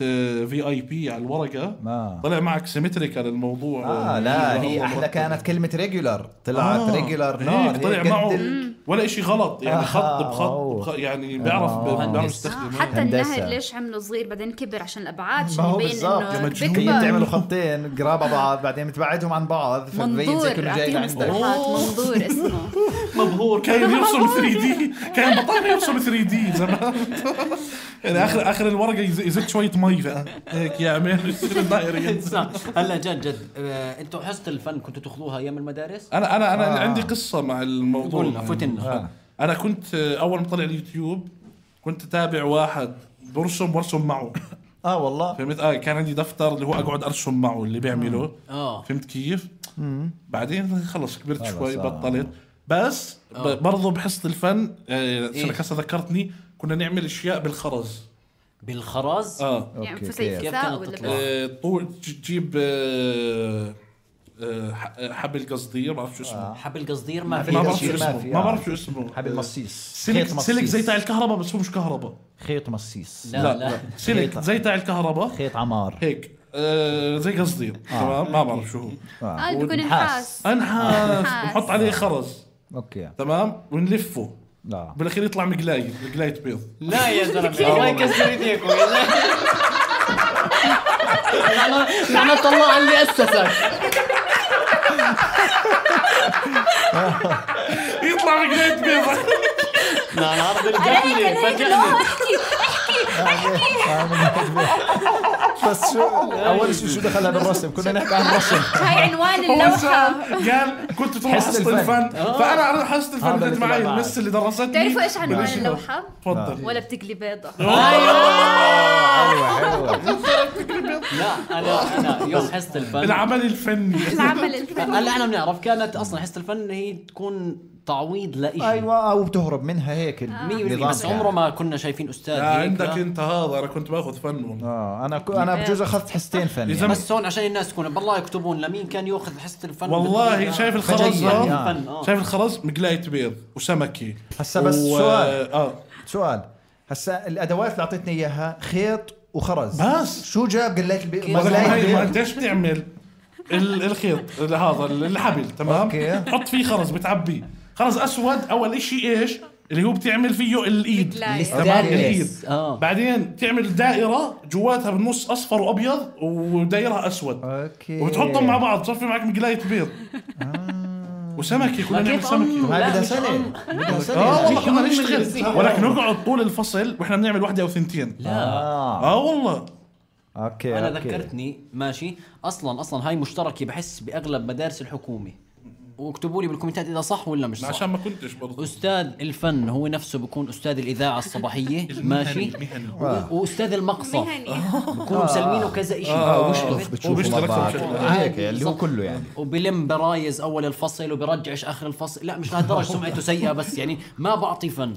Speaker 4: VIP على الورقة طلع معك سيمتريكال الموضوع.
Speaker 1: لا هي أحلى كانت كلمة ريجولار طلعت ريجولار
Speaker 4: نار طلع معه ولا إشي غلط يعني خط بخط يعني بيعرف يستخدم.
Speaker 3: حتى النهر ليش عمله صغير بعدين كبر عشان الأبعاد عشان يبين إنه
Speaker 1: بيكبر. تعملوا خطين قرابة بعض بعدين بتبعدهم عن بعض
Speaker 3: فبين زي كل جاي عندك. منظور اسمه
Speaker 4: مبهور. كان يرسم 3D كان بطل يرسم 3D زمان يعني آخر الورقة يزيد شوية مي هيك يعمل يصير الدائرة.
Speaker 2: هلا جد انتوا حصة الفن كنتوا تاخذوها ايام المدارس؟
Speaker 4: انا عندي قصة مع الموضوع. انا كنت اول ما طلع اليوتيوب كنت اتابع واحد برسم وارسم معه.
Speaker 1: والله
Speaker 4: فهمت. كان عندي دفتر اللي هو اقعد ارسم معه اللي بيعمله. فهمت كيف. بعدين خلص كبرت شوي بطلت. بس برضو بحصة الفن هسه ذكرتني كنا نعمل اشياء بالخرز.
Speaker 2: بالخرز
Speaker 3: يعني فسيفساء ولا
Speaker 4: طول تجيب حبل قصدير ما بعرف شو اسمه.
Speaker 2: حبل قصدير ما
Speaker 4: بعرف شو اسمه.
Speaker 1: حبل مصيص.
Speaker 4: سلك زي تاع الكهرباء بس هو مش كهرباء.
Speaker 1: خيط مصيص.
Speaker 2: لا
Speaker 4: سلك زي تاع الكهرباء.
Speaker 1: خيط عمار
Speaker 4: هيك زي قصدير. تمام ما بعرف شو هو.
Speaker 3: بيكون نحاس
Speaker 4: ونحط عليه خرز.
Speaker 1: اوكي
Speaker 4: تمام ونلفه.
Speaker 1: لا
Speaker 4: بالاخير يطلع مقلاية بيض.
Speaker 2: لا يا زلمه الله يكسر ايديكم يا زلمه. لعنة الله اللي اسسك.
Speaker 4: يطلع مقلاية بيض.
Speaker 2: لا انا عرض الجبل فاجئني.
Speaker 1: بس اول شيء دخلها بالرسم كنا نحكي عن الرسم.
Speaker 3: هاي عنوان اللوحة.
Speaker 4: قال كنت تروح حصة الفن فانا حصة الفن بدت معي المس اللي درستني.
Speaker 3: تعرفوا ايش عنوان اللوحة؟
Speaker 4: تفضل.
Speaker 3: ولا بتقلي بيضة.
Speaker 1: ايوه
Speaker 2: لا انا يوم حصة الفن
Speaker 4: العمل الفني
Speaker 2: هلا احنا بنعرف كانت اصلا حصة الفن هي تكون تعويض لإشي.
Speaker 1: ايوه او بتهرب منها هيك
Speaker 2: بس عمره ما كنا شايفين استاذ هيك.
Speaker 4: عندك انت هذا انا كنت باخذ فن.
Speaker 1: انا بجوز اخذت حصتين فن
Speaker 2: يعني. بس هون عشان الناس تكون بالله يكتبون لمين كان ياخذ حصة الفن.
Speaker 4: والله شايف الخرز شايف الخرز مقلاية بيض وسمكي
Speaker 1: هسا بس سؤال هسا الادوات اللي اعطيتني اياها خيط وخرز
Speaker 4: بس
Speaker 1: شو جاب قلاية البيض؟
Speaker 4: ما انت ايش بتعمل الخيط هذا الحبل تمام حط فيه خرز بتعبيه خرز اسود. اول اشي ايش اللي هو بتعمل فيه الايد تمام الايد. بعدين تعمل دائره جواتها بالنص اصفر وابيض ودائره اسود. وبتحطهم مع بعض تصفي معك مقلاية بيض. وسمكي كنا نعمل سمكي.
Speaker 1: هاي بدها سنة
Speaker 4: والله كنا نشتغل ولكن نقعد طول الفصل واحنا بنعمل واحدة او ثنتين.
Speaker 2: لا
Speaker 4: والله
Speaker 1: اوكي
Speaker 2: انا ذكرتني ماشي اصلا هاي مشتركه بحس باغلب مدارس الحكومه. واكتبوا لي بالكومنتات اذا صح ولا مش صح
Speaker 4: عشان ما كنتش برضه.
Speaker 2: استاذ الفن هو نفسه بيكون استاذ الاذاعه الصباحيه ماشي واستاذ المقصف بيكونوا مسلمينه كذا شيء
Speaker 1: بيشتغل هيك اللي هو كله يعني.
Speaker 2: وبلم برايز اول الفصل وبرجعش اخر الفصل. لا مش لهالدرجه سمعته سيئه بس يعني ما بعطي فن.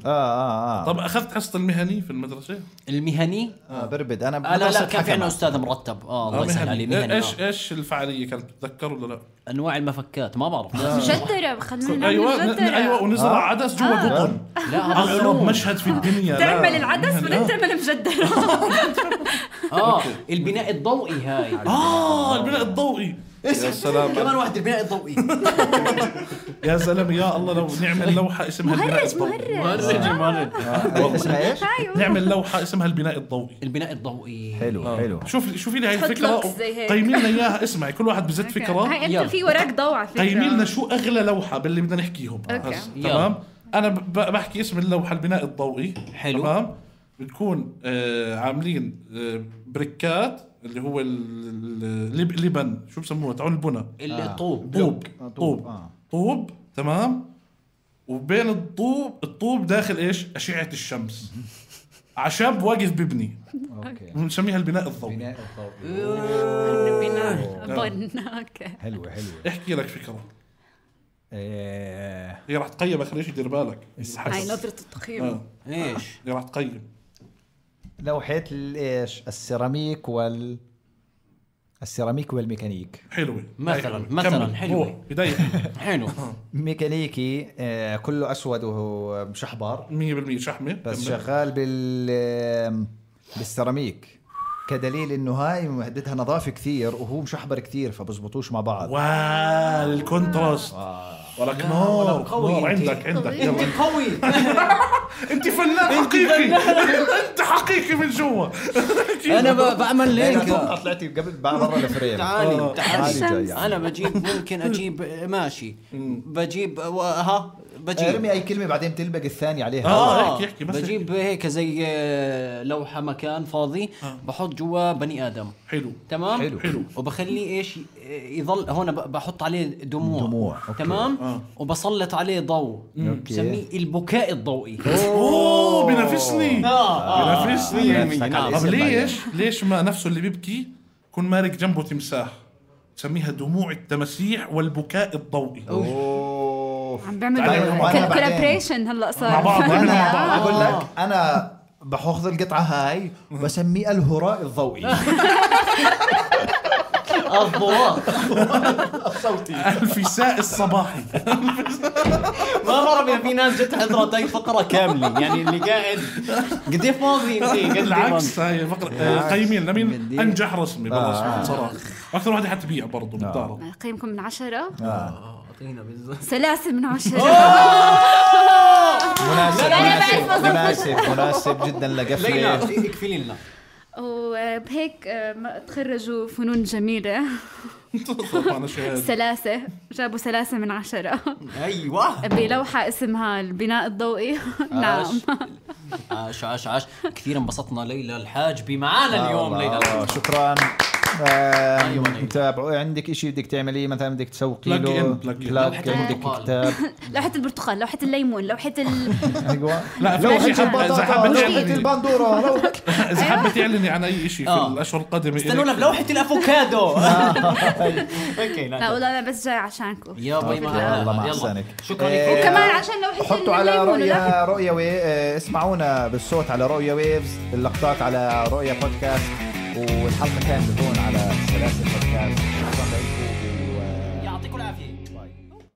Speaker 4: طب اخذت حصه المهني في المدرسه؟
Speaker 2: المهني
Speaker 1: بربد انا
Speaker 2: لا كان في عندنا استاذ مرتب الله يسهل عليه مهني.
Speaker 4: ايش الفعاليه كانت تتذكر ولا لا؟
Speaker 2: انواع المفكات ما بعرف.
Speaker 3: مجدرة خلونا
Speaker 4: ايوه ونزرع عدس جوا قطن.
Speaker 2: لا
Speaker 4: اغرب مشهد في الدنيا.
Speaker 3: تعمل العدس ولا تعمل المجدرة.
Speaker 2: البناء الضوئي هاي.
Speaker 4: البناء الضوئي يا سلام.
Speaker 2: كمان واحد البناء الضوئي.
Speaker 4: يا زلمه يا الله لو نعمل لوحه اسمها البناء الضوئي.
Speaker 2: مهرج
Speaker 1: اسمها ايش؟
Speaker 4: نعمل لوحه اسمها البناء الضوئي.
Speaker 2: البناء الضوئي
Speaker 1: حلو.
Speaker 4: شوفي لي هاي الفكره قيمي لنا اياها. اسمعي كل واحد بزت فكره.
Speaker 3: هاي انت في وراك ضوء على فكره.
Speaker 4: قيمي لنا شو اغلى لوحه باللي بدنا نحكيهم. تمام انا بحكي اسم اللوحه البناء الضوئي.
Speaker 2: حلو.
Speaker 4: تمام بتكون عاملين بريكات اللي هو اللبن شو بسموه تعون البناء.
Speaker 2: الطوب
Speaker 4: طوب تمام، وبين الطوب داخل ايش؟ اشعة الشمس. عشب واقف ببني، بنسميها البناء الضوئي.
Speaker 3: البناء اوكي.
Speaker 1: حلوة.
Speaker 4: احكي لك فكرة. هي راح تقيم اخر شيء، دير بالك
Speaker 3: هاي نظرة التقييم.
Speaker 2: ايش
Speaker 4: هي راح تقيم
Speaker 1: لوحة ايش؟ السيراميك والميكانيك.
Speaker 4: حلوة
Speaker 2: مثلا حلوة
Speaker 4: بداية
Speaker 2: حلو.
Speaker 1: ميكانيكي كله أسود وهو مشحبر
Speaker 4: 100% شحمة،
Speaker 1: بس شغال بالسيراميك، كدليل انه هاي مهددها نظافة كثير وهو مشحبر كثير فبزبطوش مع بعض.
Speaker 4: الكونتراست. ولك نور عندك
Speaker 2: يلا قوي.
Speaker 4: انت فنان حقيقي. انت حقيقي من جوا.
Speaker 2: انا بعمل هيك.
Speaker 1: طلعتي قبل برا الفريم.
Speaker 2: تعالي انا ممكن اجيب ماشي، بجيب
Speaker 1: ارمي اي كلمه بعدين تلبق الثاني عليها.
Speaker 4: احكي بس.
Speaker 2: بجيب هيك زي لوحه مكان فاضي، بحط جوا بني ادم.
Speaker 4: حلو
Speaker 2: تمام.
Speaker 4: حلو.
Speaker 2: وبخليه ايش يظل هون، بحط عليه دموع. تمام. وبسلط عليه ضوء، بسميه البكاء الضوئي.
Speaker 4: بنفسني. طب ليش ما نفسه اللي بيبكي يكون مارك جنبه تمساح؟ سميها دموع التمسيح والبكاء الضوئي.
Speaker 3: عم بعمل كولابريشن هلا صار
Speaker 4: مع بعض.
Speaker 1: اقول لك انا بأخذ القطعه هاي وبسميها الهراء الضوئي.
Speaker 2: الصوتي،
Speaker 4: الفساء الصباحي.
Speaker 2: ما مرة في ناس جت حضرت هاي فقرة كاملة، يعني اللي قاعد قد فاضي.
Speaker 4: بالعكس هاي فقرة قيمين لمين أنجح رسمي بالرسم صراحة، أكثر واحدة حتبيع برضو بالدار.
Speaker 3: قيمكم من 10. سلاسل من 10.
Speaker 1: مناسب جدا لقفلة.
Speaker 2: اكفلي لنا.
Speaker 3: وبهيك تخرجوا فنون جميلة. سلاسة، جابوا سلاسة من 10.
Speaker 2: أيوة.
Speaker 3: بلوحة اسمها البناء الضوئي. نعم.
Speaker 2: عاش كثير انبسطنا ليلى الحاجبي معانا اليوم. ليلى
Speaker 1: شكرا. تابعوا. عندك إشي بدك تعمليه مثلا؟ بدك تسوقي له
Speaker 2: لوحة
Speaker 1: عندك كتاب،
Speaker 3: لوحة البرتقال، لوحة الليمون، لوحة
Speaker 1: ايوه
Speaker 4: لا في
Speaker 1: لوحة البندورة.
Speaker 4: إذا حبيت تعلني عن أي إشي في الأشهر القادمة
Speaker 2: استنونا بلوحة الأفوكادو.
Speaker 3: لا والله أنا بس جاي عشانكم
Speaker 2: يا باي.
Speaker 1: الله مع أحسنك.
Speaker 2: شكرا لكم.
Speaker 3: وكمان عشان لوحة
Speaker 1: حطوا على رؤيا اسمعونا بالصوت على رؤيا ويفز، اللقطات على رؤيا بودكاست، والحلقة كانت هون على سلاسل بودكاست. شكرا لكم.